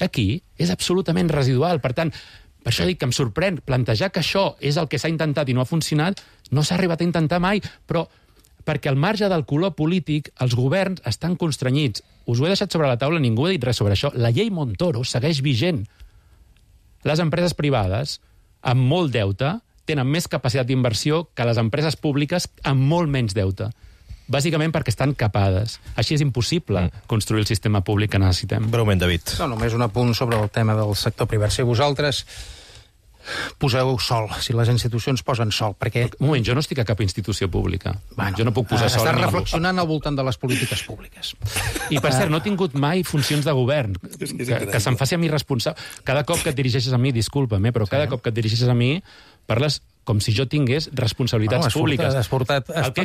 Aquí és absolutament residual. Per tant, per això dic que em sorprèn plantejar que això és el que s'ha intentat i no ha funcionat, no s'ha arribat a intentar mai, però perquè al marge del color polític els governs estan constrenyits. Us ho he deixat sobre la taula, ningú ha dit res sobre això. La llei Montoro segueix vigent. Les empreses privades, amb molt deute, tenen més capacitat d'inversió que les empreses públiques amb molt menys deute. Bàsicament perquè estan capades. Així és impossible construir el sistema públic que necessitem. Breument, David. No, només un apunt sobre el tema del sector privat. Si vosaltres Poseu sol, si les institucions posen sol, perquè... Un moment, jo no estic a cap institució pública. Jo no puc posar sol a Estàs ningú. reflexionant al voltant de les polítiques públiques. I, per cert, no he tingut mai funcions de govern. Que se'm faci a mi responsable. Cada cop que et dirigeixes a mi, disculpa'm, però cada cop que et dirigeixes a mi, parles com si jo tingués responsabilitats públiques.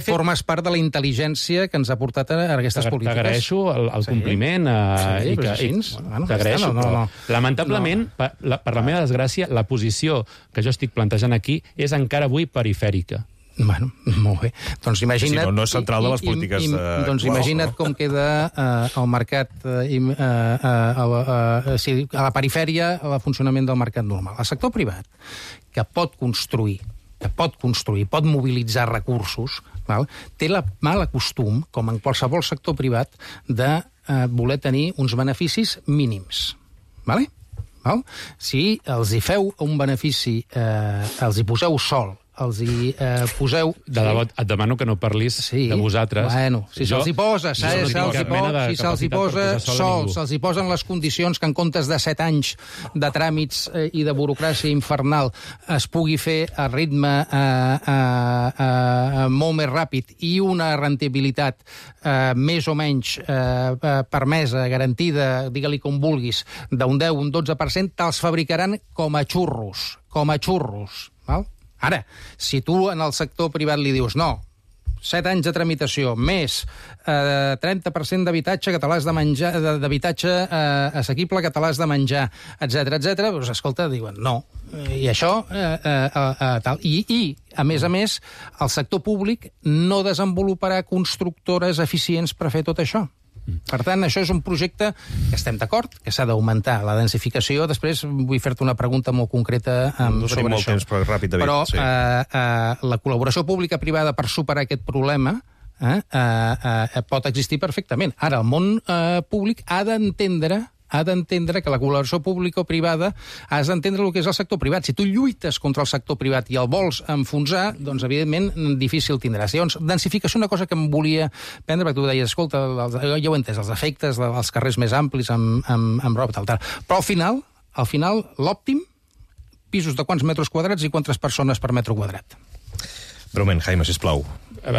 Formes part de la intel·ligència que ens ha portat a aquestes polítiques. T'agraeixo el compliment. T'agraeixo. Lamentablement, per la meva desgràcia, la posició que jo estic plantejant aquí és encara avui perifèrica. Bueno, molt bé. Doncs imagina't... Sí, no és central de les polítiques... Doncs imagina't com queda el mercat, a la perifèria, el funcionament del mercat normal. El sector privat, que pot construir, pot mobilitzar recursos, té el mal costum, com en qualsevol sector privat, de voler tenir uns beneficis mínims. Si els hi feu un benefici, els hi poseu sol, els hi poseu... De debò, et demano que no parlis de vosaltres. Bueno, si se'ls hi posa, si se'ls hi posa sols, se'ls hi posen les condicions que en comptes de 7 anys de tràmits i de burocràcia infernal es pugui fer a ritme molt més ràpid i una rendibilitat més o menys permesa, garantida, digue-li com vulguis, d'un 10, un 12%, te'ls fabricaran com a xurros, val? Ara, si tu en el sector privat li dius no, 7 anys de tramitació, més 30% d'habitatge que te l'has de menjar, d'habitatge assequible que te l'has de menjar, etc, doncs escolta, diuen no. I això, tal. I, a més, el sector públic no desenvoluparà constructores eficients per fer tot això. Per tant, això és un projecte que estem d'acord, que s'ha d'augmentar la densificació. Després vull fer-te una pregunta molt concreta sobre això. Però la col·laboració pública-privada per superar aquest problema pot existir perfectament. Ara, el món públic ha d'entendre que la col·laboració pública o privada has d'entendre el que és el sector privat. Si tu lluites contra el sector privat i el vols enfonsar, doncs, evidentment, difícil tindràs. Llavors, densificació, una cosa que em volia prendre, perquè tu deies, escolta, jo ho he entès, els efectes dels carrers més amplis amb roba, tal. Però al final, l'òptim, pisos de quants metres quadrats i quantes persones per metre quadrat. Breument, Jaime, sisplau.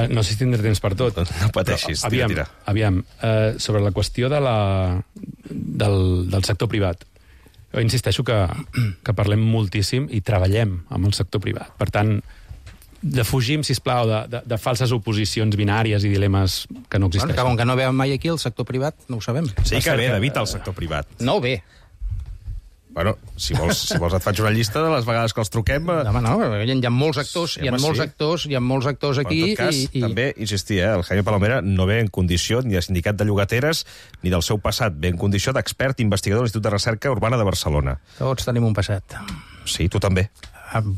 No sé si tindré temps per tot. No pateixis, tira. Aviam, sobre la qüestió del sector privat. Jo insisteixo que parlem moltíssim i treballem amb el sector privat. Per tant, defugim, sisplau, de falses oposicions binàries i dilemes que no existeixen. Bueno, com que no veiem mai aquí el sector privat, no ho sabem. Sí que ve, David, el sector privat. No ve. Bueno, si vols et faig una llista de les vegades que els truquem... No, hi ha molts actors, hi ha molts actors aquí... En tot cas, també, insistir, el Jaime Palomera no ve en condició ni de sindicat de llogateres ni del seu passat, ve en condició d'expert investigador de l'Institut de Recerca Urbana de Barcelona. Tots tenim un passat. Sí, tu també.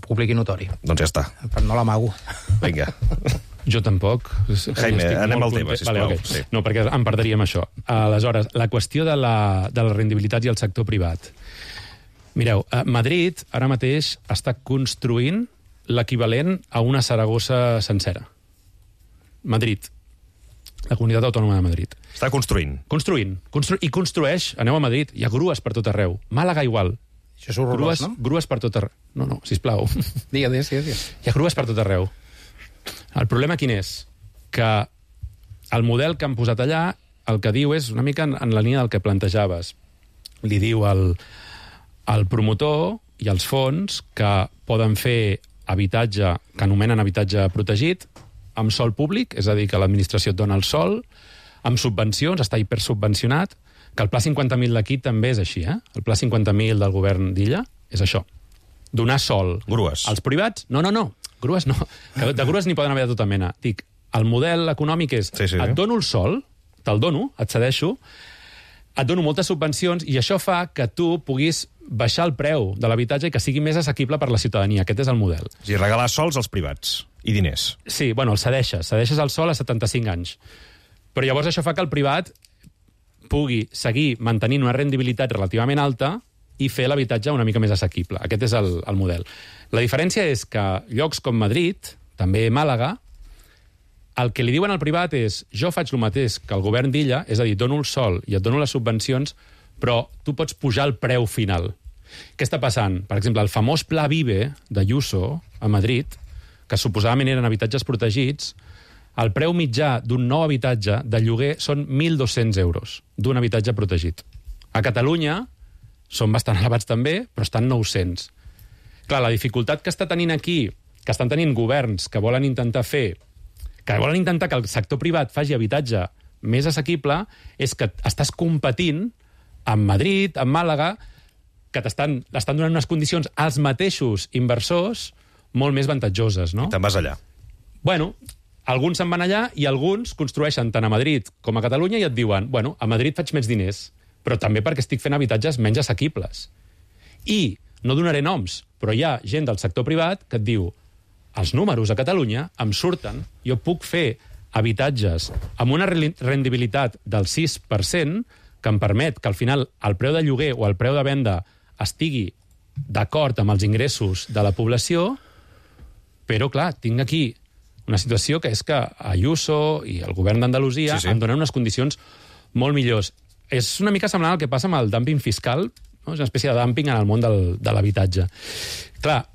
Públic i notori. Doncs ja està. Però no l'amago. Vinga. Jo tampoc. Jaime, anem al tema, sisplau. Vale, okay. No, perquè em perdríem això. Aleshores, la qüestió de la rendibilitat i el sector privat. Mireu, Madrid ara mateix està construint l'equivalent a una Saragossa sencera. Madrid. La comunitat autònoma de Madrid. Està construint. I construeix, aneu a Madrid, hi ha grues per tot arreu. Màlaga igual. Això és horrorós, no? Grues per tot arreu. No, sisplau. Digues. Hi ha grues per tot arreu. El problema quin és? Que el model que han posat allà, el que diu és una mica en la línia del que plantejaves. Li diu al promotor i als fons que poden fer habitatge, que anomenen habitatge protegit, amb sòl públic, és a dir, que l'administració et dona el sòl, amb subvencions, està hipersubvencionat, que el Pla 50.000 d'aquí també és així, eh? El Pla 50.000 del govern d'Illa és això. Donar sòl. Grues. Als privats? No. Grues no. De grues n'hi poden haver de tota mena. Dic, el model econòmic és et dono el sòl, te'l dono, et cedeixo, et dono moltes subvencions i això fa que tu puguis baixar el preu de l'habitatge i que sigui més assequible per la ciutadania. Aquest és el model. I regalar sols als privats i diners. Sí, bueno, el cedeixes el sol a 75 anys. Però llavors això fa que el privat pugui seguir mantenint una rendibilitat relativament alta i fer l'habitatge una mica més assequible. Aquest és el model. La diferència és que llocs com Madrid, també Màlaga, el que li diuen al privat és jo faig el mateix que el govern d'Illa, és a dir, dono el sòl i et dono les subvencions, però tu pots pujar el preu final. Què està passant? Per exemple, el famós Pla Vive d'Ayuso a Madrid, que suposadament eren habitatges protegits, el preu mitjà d'un nou habitatge de lloguer són 1.200 euros d'un habitatge protegit. A Catalunya són bastant elevats també, però estan 900. Clar, la dificultat que està tenint aquí, que estan tenint governs que volen intentar que el sector privat faci habitatge més assequible, és que estàs competint amb Madrid, amb Màlaga, que l'estan donant unes condicions als mateixos inversors molt més avantatjoses, no? I te'n vas allà. Bueno, alguns se'n van allà i alguns construeixen tant a Madrid com a Catalunya i et diuen, bueno, a Madrid faig més diners, però també perquè estic fent habitatges menys assequibles. I no donaré noms, però hi ha gent del sector privat que et diu els números a Catalunya em surten, jo puc fer habitatges amb una rendibilitat del 6% que em permet que al final el preu de lloguer o el preu de venda estigui d'acord amb els ingressos de la població, però, clar, tinc aquí una situació que és que Ayuso i el govern d'Andalusia em donen unes condicions molt millors. És una mica semblant al que passa amb el dumping fiscal, no? És una espècie de dumping en el món de l'habitatge. Clar,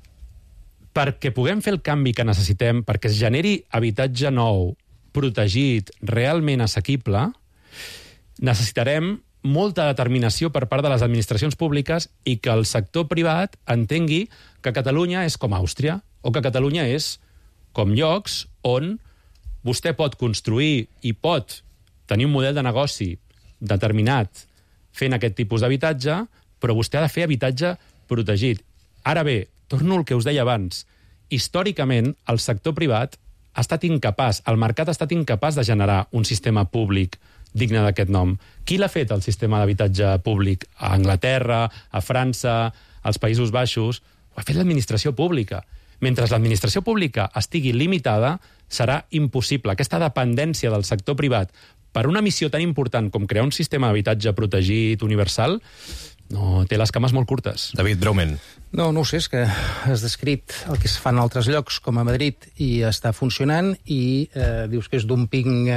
perquè puguem fer el canvi que necessitem, perquè es generi habitatge nou, protegit, realment assequible, necessitarem molta determinació per part de les administracions públiques i que el sector privat entengui que Catalunya és com Àustria o que Catalunya és com llocs on vostè pot construir i pot tenir un model de negoci determinat fent aquest tipus d'habitatge, però vostè ha de fer habitatge protegit. Ara bé, torno al que us deia abans, històricament el sector privat ha estat incapaç, el mercat ha estat incapaç de generar un sistema públic digne d'aquest nom. Qui l'ha fet, el sistema d'habitatge públic? A Anglaterra, a França, als Països Baixos? Ho ha fet l'administració pública. Mentre l'administració pública estigui limitada, serà impossible. Aquesta dependència del sector privat per una missió tan important com crear un sistema d'habitatge protegit, universal, no, té les cames molt curtes. David, breument. No ho sé, és que has descrit el que es fa en altres llocs, com a Madrid, i està funcionant, i dius que és dumping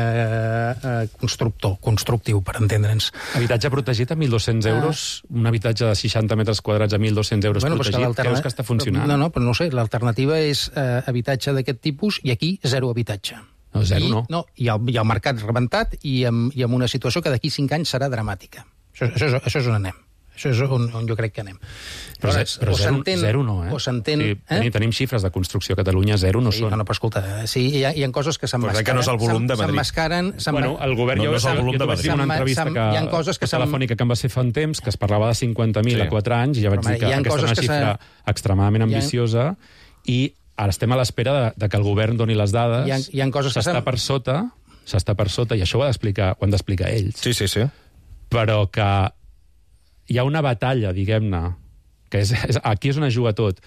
constructiu, per entendre'ns. Habitatge protegit a 1.200 euros, un habitatge de 60 metres quadrats a 1.200 euros protegit, creus que està funcionant? No, però no sé, l'alternativa és habitatge d'aquest tipus, i aquí zero habitatge. No, zero no. I el mercat rebentat, i amb una situació que d'aquí 5 anys serà dramàtica. Això és on anem. Això és on jo crec que anem. Però zero no, eh? O s'entén... Tenim xifres de construcció a Catalunya, zero no són. No, però escolta, sí, hi ha coses que s'emmascaren. Però crec que no és el volum de Madrid. S'emmascaren... Bueno, el govern... No és el volum de Madrid. Una entrevista telefònica que em va ser fa un temps, que es parlava de 50.000 a 4 anys, i ja vaig dir que aquesta és una xifra extremadament ambiciosa, i ara estem a l'espera de que el govern doni les dades. Hi ha coses que s'està per sota, i això ho han d'explicar ells. Sí. Però que hi ha una batalla, diguem-ne, que aquí és on es juga tot,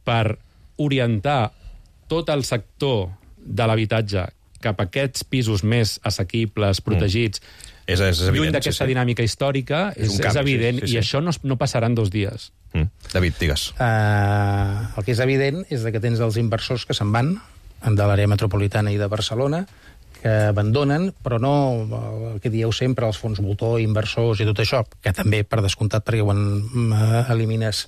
per orientar tot el sector de l'habitatge cap a aquests pisos més assequibles, protegits, és evident, lluny d'aquesta dinàmica històrica, és evident, i això no passarà en 2 dies. David, digues. El que és evident és que tens els inversors que se'n van, de l'àrea metropolitana i de Barcelona, que abandonen, però no el que dieu sempre, els fons voltor, inversors i tot això, que també, per descomptat, perquè quan elimines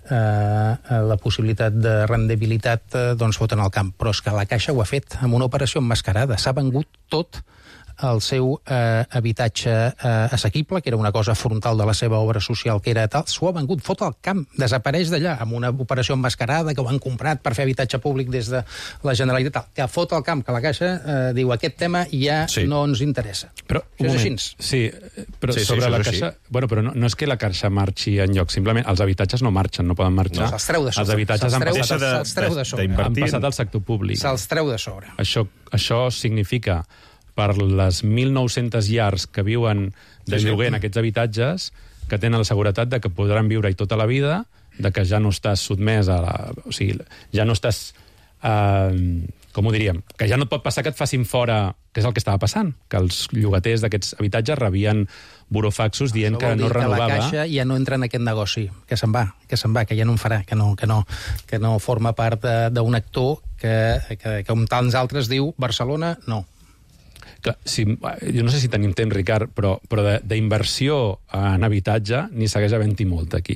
la possibilitat de rendibilitat, doncs foten al camp. Però és que la Caixa ho ha fet amb una operació emmascarada. S'ha vengut tot el seu habitatge assequible, que era una cosa frontal de la seva obra social, que era tal, s'ho ha vengut, fot al camp, desapareix d'allà, amb una operació emmascarada que ho han comprat per fer habitatge públic des de la Generalitat, que fot al camp, que la Caixa diu aquest tema ja no ens interessa. Però, és així. Sí, però sobre la Caixa... Bueno, però no és que la Caixa marxi enlloc, simplement els habitatges no marxen, no poden marxar. No, se'ls treu de sobre. Els habitatges han passat al sector públic. Se'ls treu de sobre. Això significa, per les 1.900 llars que viuen de lloguer en aquests habitatges, que tenen la seguretat de que podran viure-hi tota la vida, de que ja no estàs sotmès a la... O sigui, ja no estàs... com ho diríem? Que ja no et pot passar que et facin fora, que és el que estava passant, que els llogaters d'aquests habitatges rebien burofaxos dient que no renovava... Que la Caixa ja no entra en aquest negoci, que se'n va, que ja no en farà, que no forma part d'un actor que com tants altres diu Barcelona, no. Clar, jo no sé si tenim temps, Ricard, però d'inversió en habitatge n'hi segueix havent-hi molt aquí.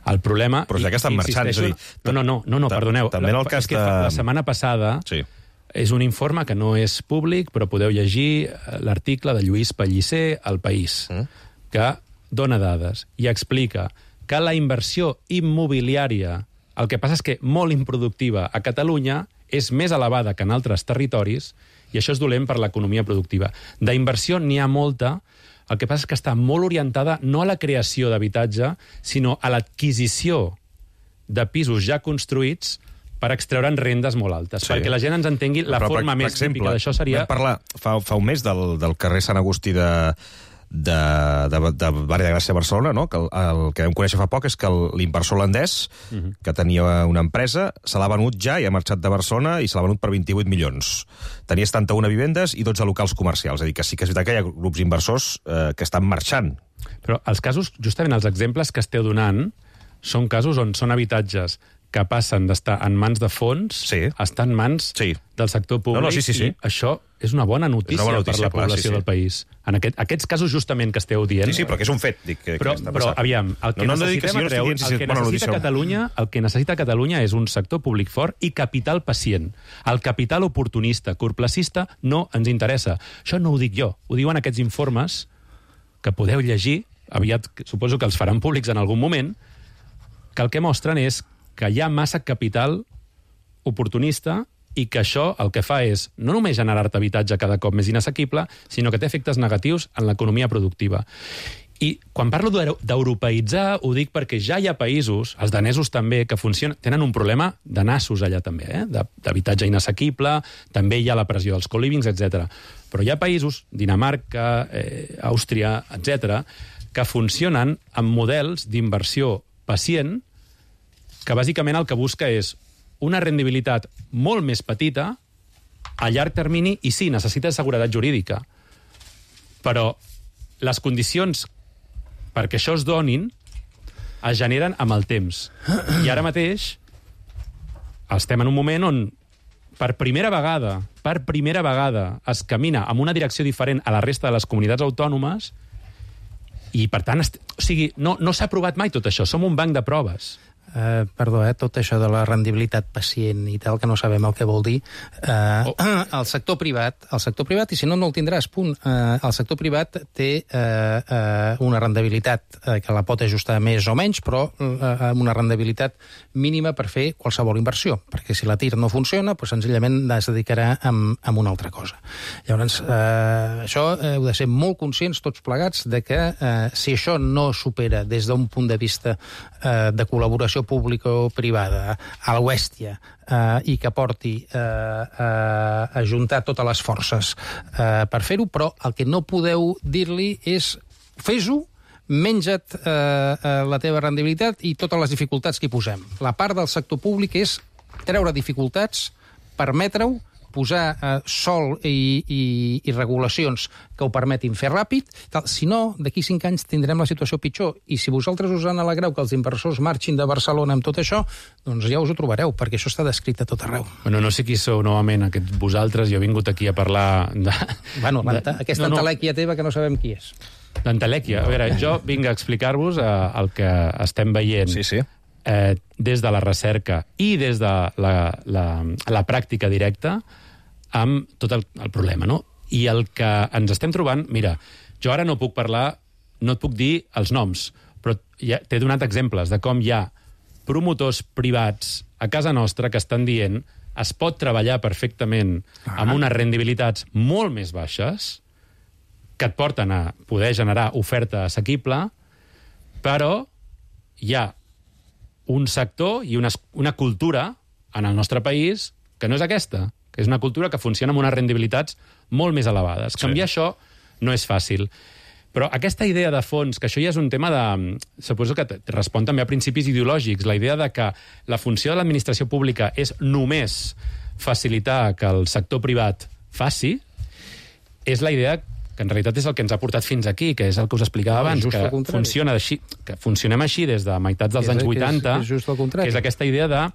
El problema... Però ja que estan marxant, és a dir... No, perdoneu. També en el cas de... La setmana passada és un informe que no és públic, però podeu llegir l'article de Lluís Pellicer al País, que dona dades i explica que la inversió immobiliària, el que passa és que molt improductiva a Catalunya, és més elevada que en altres territoris, i això és dolent per l'economia productiva. D'inversió n'hi ha molta, el que passa és que està molt orientada no a la creació d'habitatge, sinó a l'adquisició de pisos ja construïts per extreure'n rendes molt altes, perquè la gent ens entengui la forma més típica d'això seria... Vam parlar fa un mes del carrer Sant Agustí de Barri de Gràcia a Barcelona, no? Que el que vam conèixer fa poc és que l'inversor holandès, que tenia una empresa, se l'ha venut ja i ha marxat de Barcelona i se l'ha venut per 28 milions. Tenia 71 vivendes i 12 locals comercials. És a dir, que sí que és veritat que hi ha grups inversors que estan marxant. Però els casos, justament els exemples que esteu donant, són casos on són habitatges que passen d'estar en mans de fons a estar en mans del sector públic. I això és una bona notícia per la població del país. En aquests casos justament que esteu dient... Sí, però que és un fet. Però aviam, el que necessita Catalunya és un sector públic fort i capital pacient. El capital oportunista, corplacista, no ens interessa. Això no ho dic jo, ho diuen aquests informes que podeu llegir, aviat suposo que els faran públics en algun moment, que el que mostren és que hi ha massa capital oportunista i que això el que fa és no només generar-te habitatge cada cop més inassequible, sinó que té efectes negatius en l'economia productiva. I quan parlo d'europeïtzar, ho dic perquè ja hi ha països, els danesos també, que tenen un problema de nassos allà també, d'habitatge inassequible, també hi ha la pressió dels co-livings, etc. Però hi ha països, Dinamarca, Àustria, etc., que funcionen amb models d'inversió pacient que bàsicament el que busca és una rendibilitat molt més petita a llarg termini i sí, necessita seguretat jurídica. Però les condicions perquè això es donin es generen amb el temps. I ara mateix estem en un moment on per primera vegada es camina en una direcció diferent a la resta de les comunitats autònomes i, per tant, no s'ha aprovat mai tot això. Som un banc de proves. Tot això de la rendibilitat pacient i tal, que no sabem el que vol dir. El sector privat, i si no, no el tindràs, punt. El sector privat té una rendibilitat que la pot ajustar més o menys, però amb una rendibilitat mínima per fer qualsevol inversió, perquè si la TIR no funciona, doncs senzillament es dedicarà a una altra cosa. Llavors, això heu de ser molt conscients tots plegats de que si això no supera des d'un punt de vista de col·laboració pública o privada a l'Oèstia i que porti a juntar totes les forces per fer-ho, però el que no podeu dir-li és fes-ho, menja't la teva rendibilitat i totes les dificultats que hi posem. La part del sector públic és treure dificultats, permetre-ho, posar sòl i regulacions que ho permetin fer ràpid. Si no, d'aquí 5 anys tindrem la situació pitjor. I si vosaltres us en alegreu que els inversors marxin de Barcelona amb tot això, doncs ja us ho trobareu, perquè això està descrit a tot arreu. Bueno, no sé qui sou novament aquests vosaltres. Jo he vingut aquí a parlar de... Bueno, aquesta entelèquia teva que no sabem qui és. L'entelèquia. A veure, jo vinc a explicar-vos el que estem veient des de la recerca i des de la pràctica directa amb tot el problema, no? I el que ens estem trobant... Mira, jo ara no puc parlar, no et puc dir els noms, però t'he donat exemples de com hi ha promotors privats a casa nostra que estan dient es pot treballar perfectament amb unes rendibilitats molt més baixes que et porten a poder generar oferta assequible, però hi ha un sector i una cultura en el nostre país que no és aquesta, que és una cultura que funciona amb unes rendibilitats molt més elevades. Canviar això no és fàcil. Però aquesta idea de fons, que això ja és un tema de... Suposo que respon també a principis ideològics, la idea de que la funció de l'administració pública és només facilitar que el sector privat faci, és la idea que en realitat és el que ens ha portat fins aquí, que és el que us explicava abans, que funcionem així des de meitats dels anys 80, que és aquesta idea de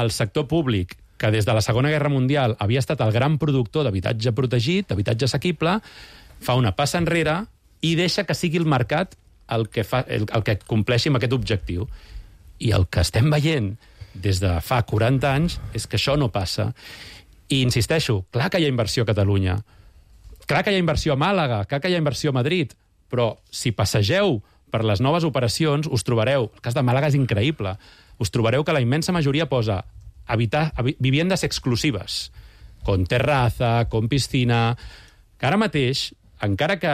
el sector públic, que des de la Segona Guerra Mundial havia estat el gran productor d'habitatge protegit, d'habitatge assequible, fa una passa enrere i deixa que sigui el mercat el que compleixi amb aquest objectiu. I el que estem veient des de fa 40 anys és que això no passa. I insisteixo, clar que hi ha inversió a Catalunya, clar que hi ha inversió a Màlaga, clar que hi ha inversió a Madrid, però si passegeu per les noves operacions us trobareu, el cas de Màlaga és increïble, us trobareu que la immensa majoria posa viviendes exclusives, con terraza, con piscina, que ara mateix, encara que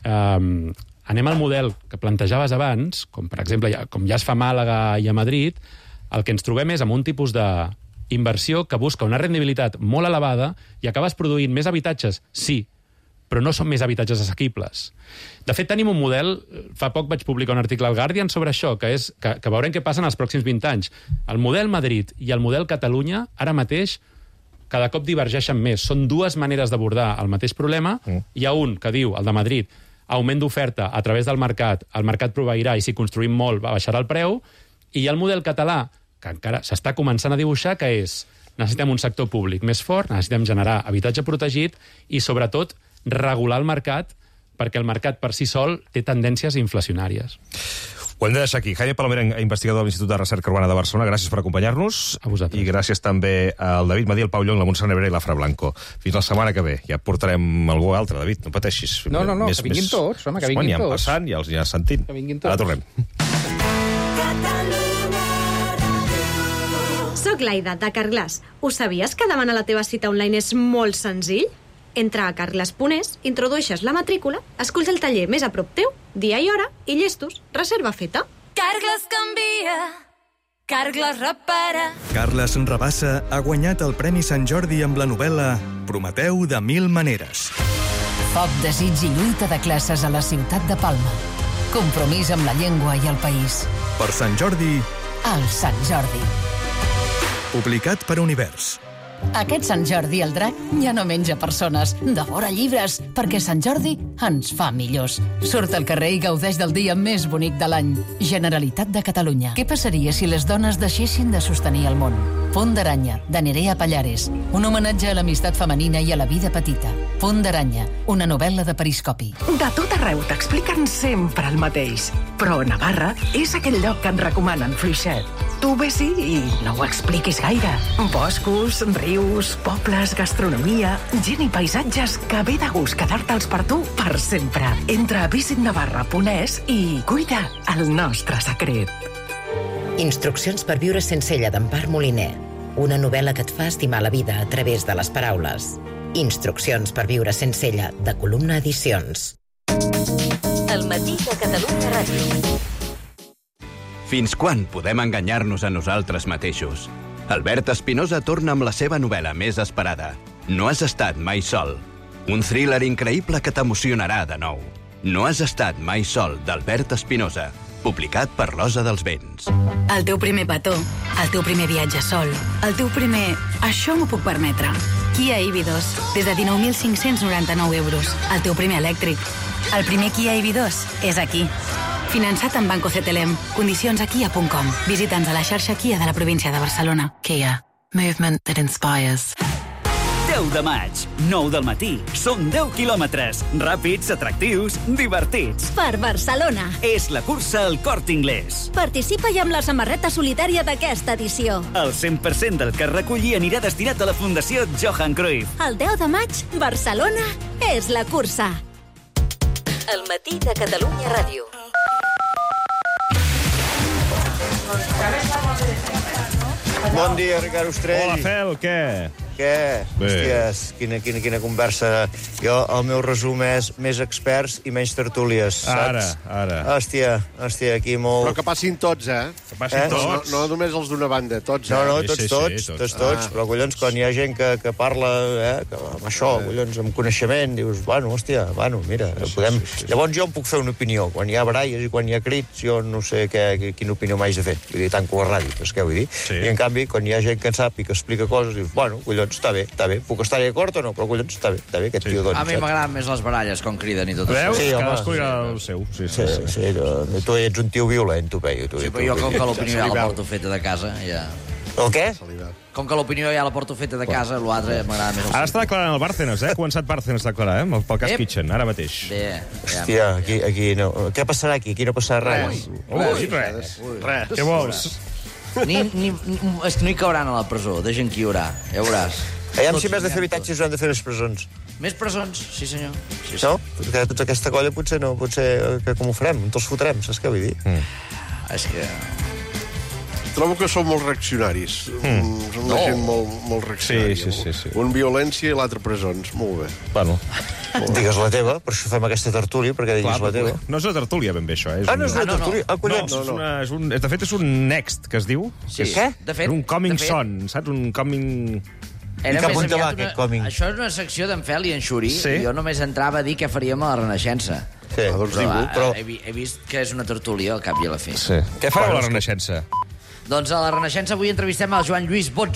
anem al model que plantejaves abans, com per exemple, com ja es fa a Màlaga i a Madrid, el que ens trobem és amb un tipus d'inversió que busca una rendibilitat molt elevada i acabes produint més habitatges, sí, però no són més habitatges assequibles. De fet, tenim un model, fa poc vaig publicar un article al Guardian sobre això, que veurem què passa en els pròxims 20 anys. El model Madrid i el model Catalunya, ara mateix, cada cop divergeixen més. Són dues maneres d'abordar el mateix problema. Hi ha un que diu, el de Madrid, augment d'oferta a través del mercat, el mercat proveirà i si construïm molt baixarà el preu, i hi ha el model català, que encara s'està començant a dibuixar, que és necessitem un sector públic més fort, necessitem generar habitatge protegit i, sobretot, regular el mercat, perquè el mercat per si sol té tendències inflacionàries. Ho hem de deixar aquí. Jaime Palomera, investigador de l'Institut de Recerca Urbana de Barcelona, gràcies per acompanyar-nos. A vosaltres. I gràcies també al David Madí, al Pau Llong, la Montserrat Nebrera i la Fra Blanco. Fins la setmana que ve. Ja portarem algú altre, David, no pateixis. No, que vinguin tots, home, que vinguin tots. Ja han passant, ja els aniràs sentint. Que vinguin tots. Ara tornem. Soc l'Aida, de Carglass. Ho sabies que demanar la teva cita online és molt senzill? Entra a carglass.es, introdueixes la matrícula, esculls el taller més a prop teu, dia i hora, i llestos, reserva feta. Carglass canvia, Carglass repara. Carles Rabassa ha guanyat el Premi Sant Jordi amb la novel·la Prometeu de 1000 maneres. Foc, desig i lluita de classes a la ciutat de Palma. Compromís amb la llengua i el país. Per Sant Jordi... El Sant Jordi. Publicat per Univers. Aquest Sant Jordi el drac ja no menja persones, devora llibres, perquè Sant Jordi ens fa millors. Surt al carrer i gaudeix del dia més bonic de l'any. Generalitat de Catalunya. Què passaria si les dones deixessin de sostenir el món? Pont d'aranya, de Nerea Pallares. Un homenatge a l'amistat femenina i a la vida petita. Pont d'aranya, una novel·la de periscopi. De tot arreu t'expliquen sempre el mateix. Però Navarra és aquell lloc que et recomanen fluixet. Tu ves-hi i no ho expliquis gaire. Boscos, rius, pobles, gastronomia, gent i paisatges que ve de gust quedar-te'ls per tu per sempre. Entra a visitnavarra.es i cuida el nostre secret. Instruccions per viure sense ella, d'Empar Moliner. Una novel·la que et fa estimar la vida a través de les paraules. Instruccions per viure sense ella, de Columna Edicions. El matí de Catalunya Ràdio. Fins quan podem enganyar-nos a nosaltres mateixos? Albert Espinosa torna amb la seva novel·la més esperada, No has estat mai sol. Un thriller increïble que t'emocionarà de nou. No has estat mai sol, d'Albert Espinosa, publicat per l'Osa dels Vents. El teu primer petó, el teu primer viatge sol, el teu primer... Això m'ho puc permetre. Kia EV2, des de 19.599 euros. El teu primer elèctric. El primer Kia EV2 és aquí. Finançat amb Banco CTLM. Condicions a kia.com. Visita'ns a la xarxa Kia de la província de Barcelona. Kia. Movement that inspires. 10 de maig, 9 del matí. Són 10 quilòmetres. Ràpids, atractius, divertits. Per Barcelona. És la cursa al Corte Inglés. Participa-hi amb la samarreta solitària d'aquesta edició. El 100% del que es reculli anirà destinat a la Fundació Johan Cruyff. El 10 de maig, Barcelona és la cursa. El matí de Catalunya Ràdio. Bon dia, Ricard Ostrell. Hola, Fel, què? Què? Bé. Hòsties, quina conversa. Jo, el meu resum és més experts i menys tertúlies, saps? Ara. Hòstia, aquí molt... Però que passin tots, eh? Que passin tots. No només els d'una banda, tots. No, Sí, tots. Però, collons, quan hi ha gent que parla, que amb això, collons, amb coneixement, dius, mira, podem... Llavors jo em puc fer una opinió. Quan hi ha baralles i quan hi ha crits, jo no sé quina opinió m'haig de fer. Vull dir, tanco la ràdio, és què vull dir? I, en canvi, quan hi ha gent que en sap i que explica coses, dius, collons, està bé. Puc estar-hi d'acord o no, però collons, està bé, aquest tio, doncs. A mi m'agraden més les baralles, com criden i tot això. Veus? Sí, cadascú dirà el seu. Sí, tu ets un tio violent, tu, Peyu. Sí, però jo com que l'opinió ja la porto feta de casa, ja... El què? Com que l'opinió ja la porto feta de casa, l'altre m'agrada més. Ara està declarant el Bárcenas, Ha començat Bárcenas a declarar, pel cas Kitchen, ara mateix. Hòstia, aquí no. Què passarà aquí? Aquí no passarà res. Res. Què vols? És que no hi cauran a la presó, deixen qui hi haurà, ja veuràs. Aviam si més de fer habitatges ho han de fer les presons. Més presons, sí senyor. No? Perquè tota aquesta colla potser no, potser com ho farem? On els fotrem, saps què vull dir? És que... Trobo que són molt reaccionaris. Són una gent molt reaccionària. Sí. Un violència i l'altre presons. Molt bé. Bueno. Digues la teva, per això fem aquesta tertúlia, perquè diguis la teva. No és una tertúlia, ben bé, això. No és una tertúlia? Collons. De fet, és un next, que es diu. Sí. Què? És un coming son, saps? Un coming... I cap on te va, aquest coming? Això és una secció d'en Fel i en Xuri. Jo només entrava a dir què faríem a la Renaixença. Sí, però he vist que és una tertúlia al cap i a la fi. Què fareu a la Renaixença? Doncs a la Renaixença avui entrevistem el Joan Lluís Botzo,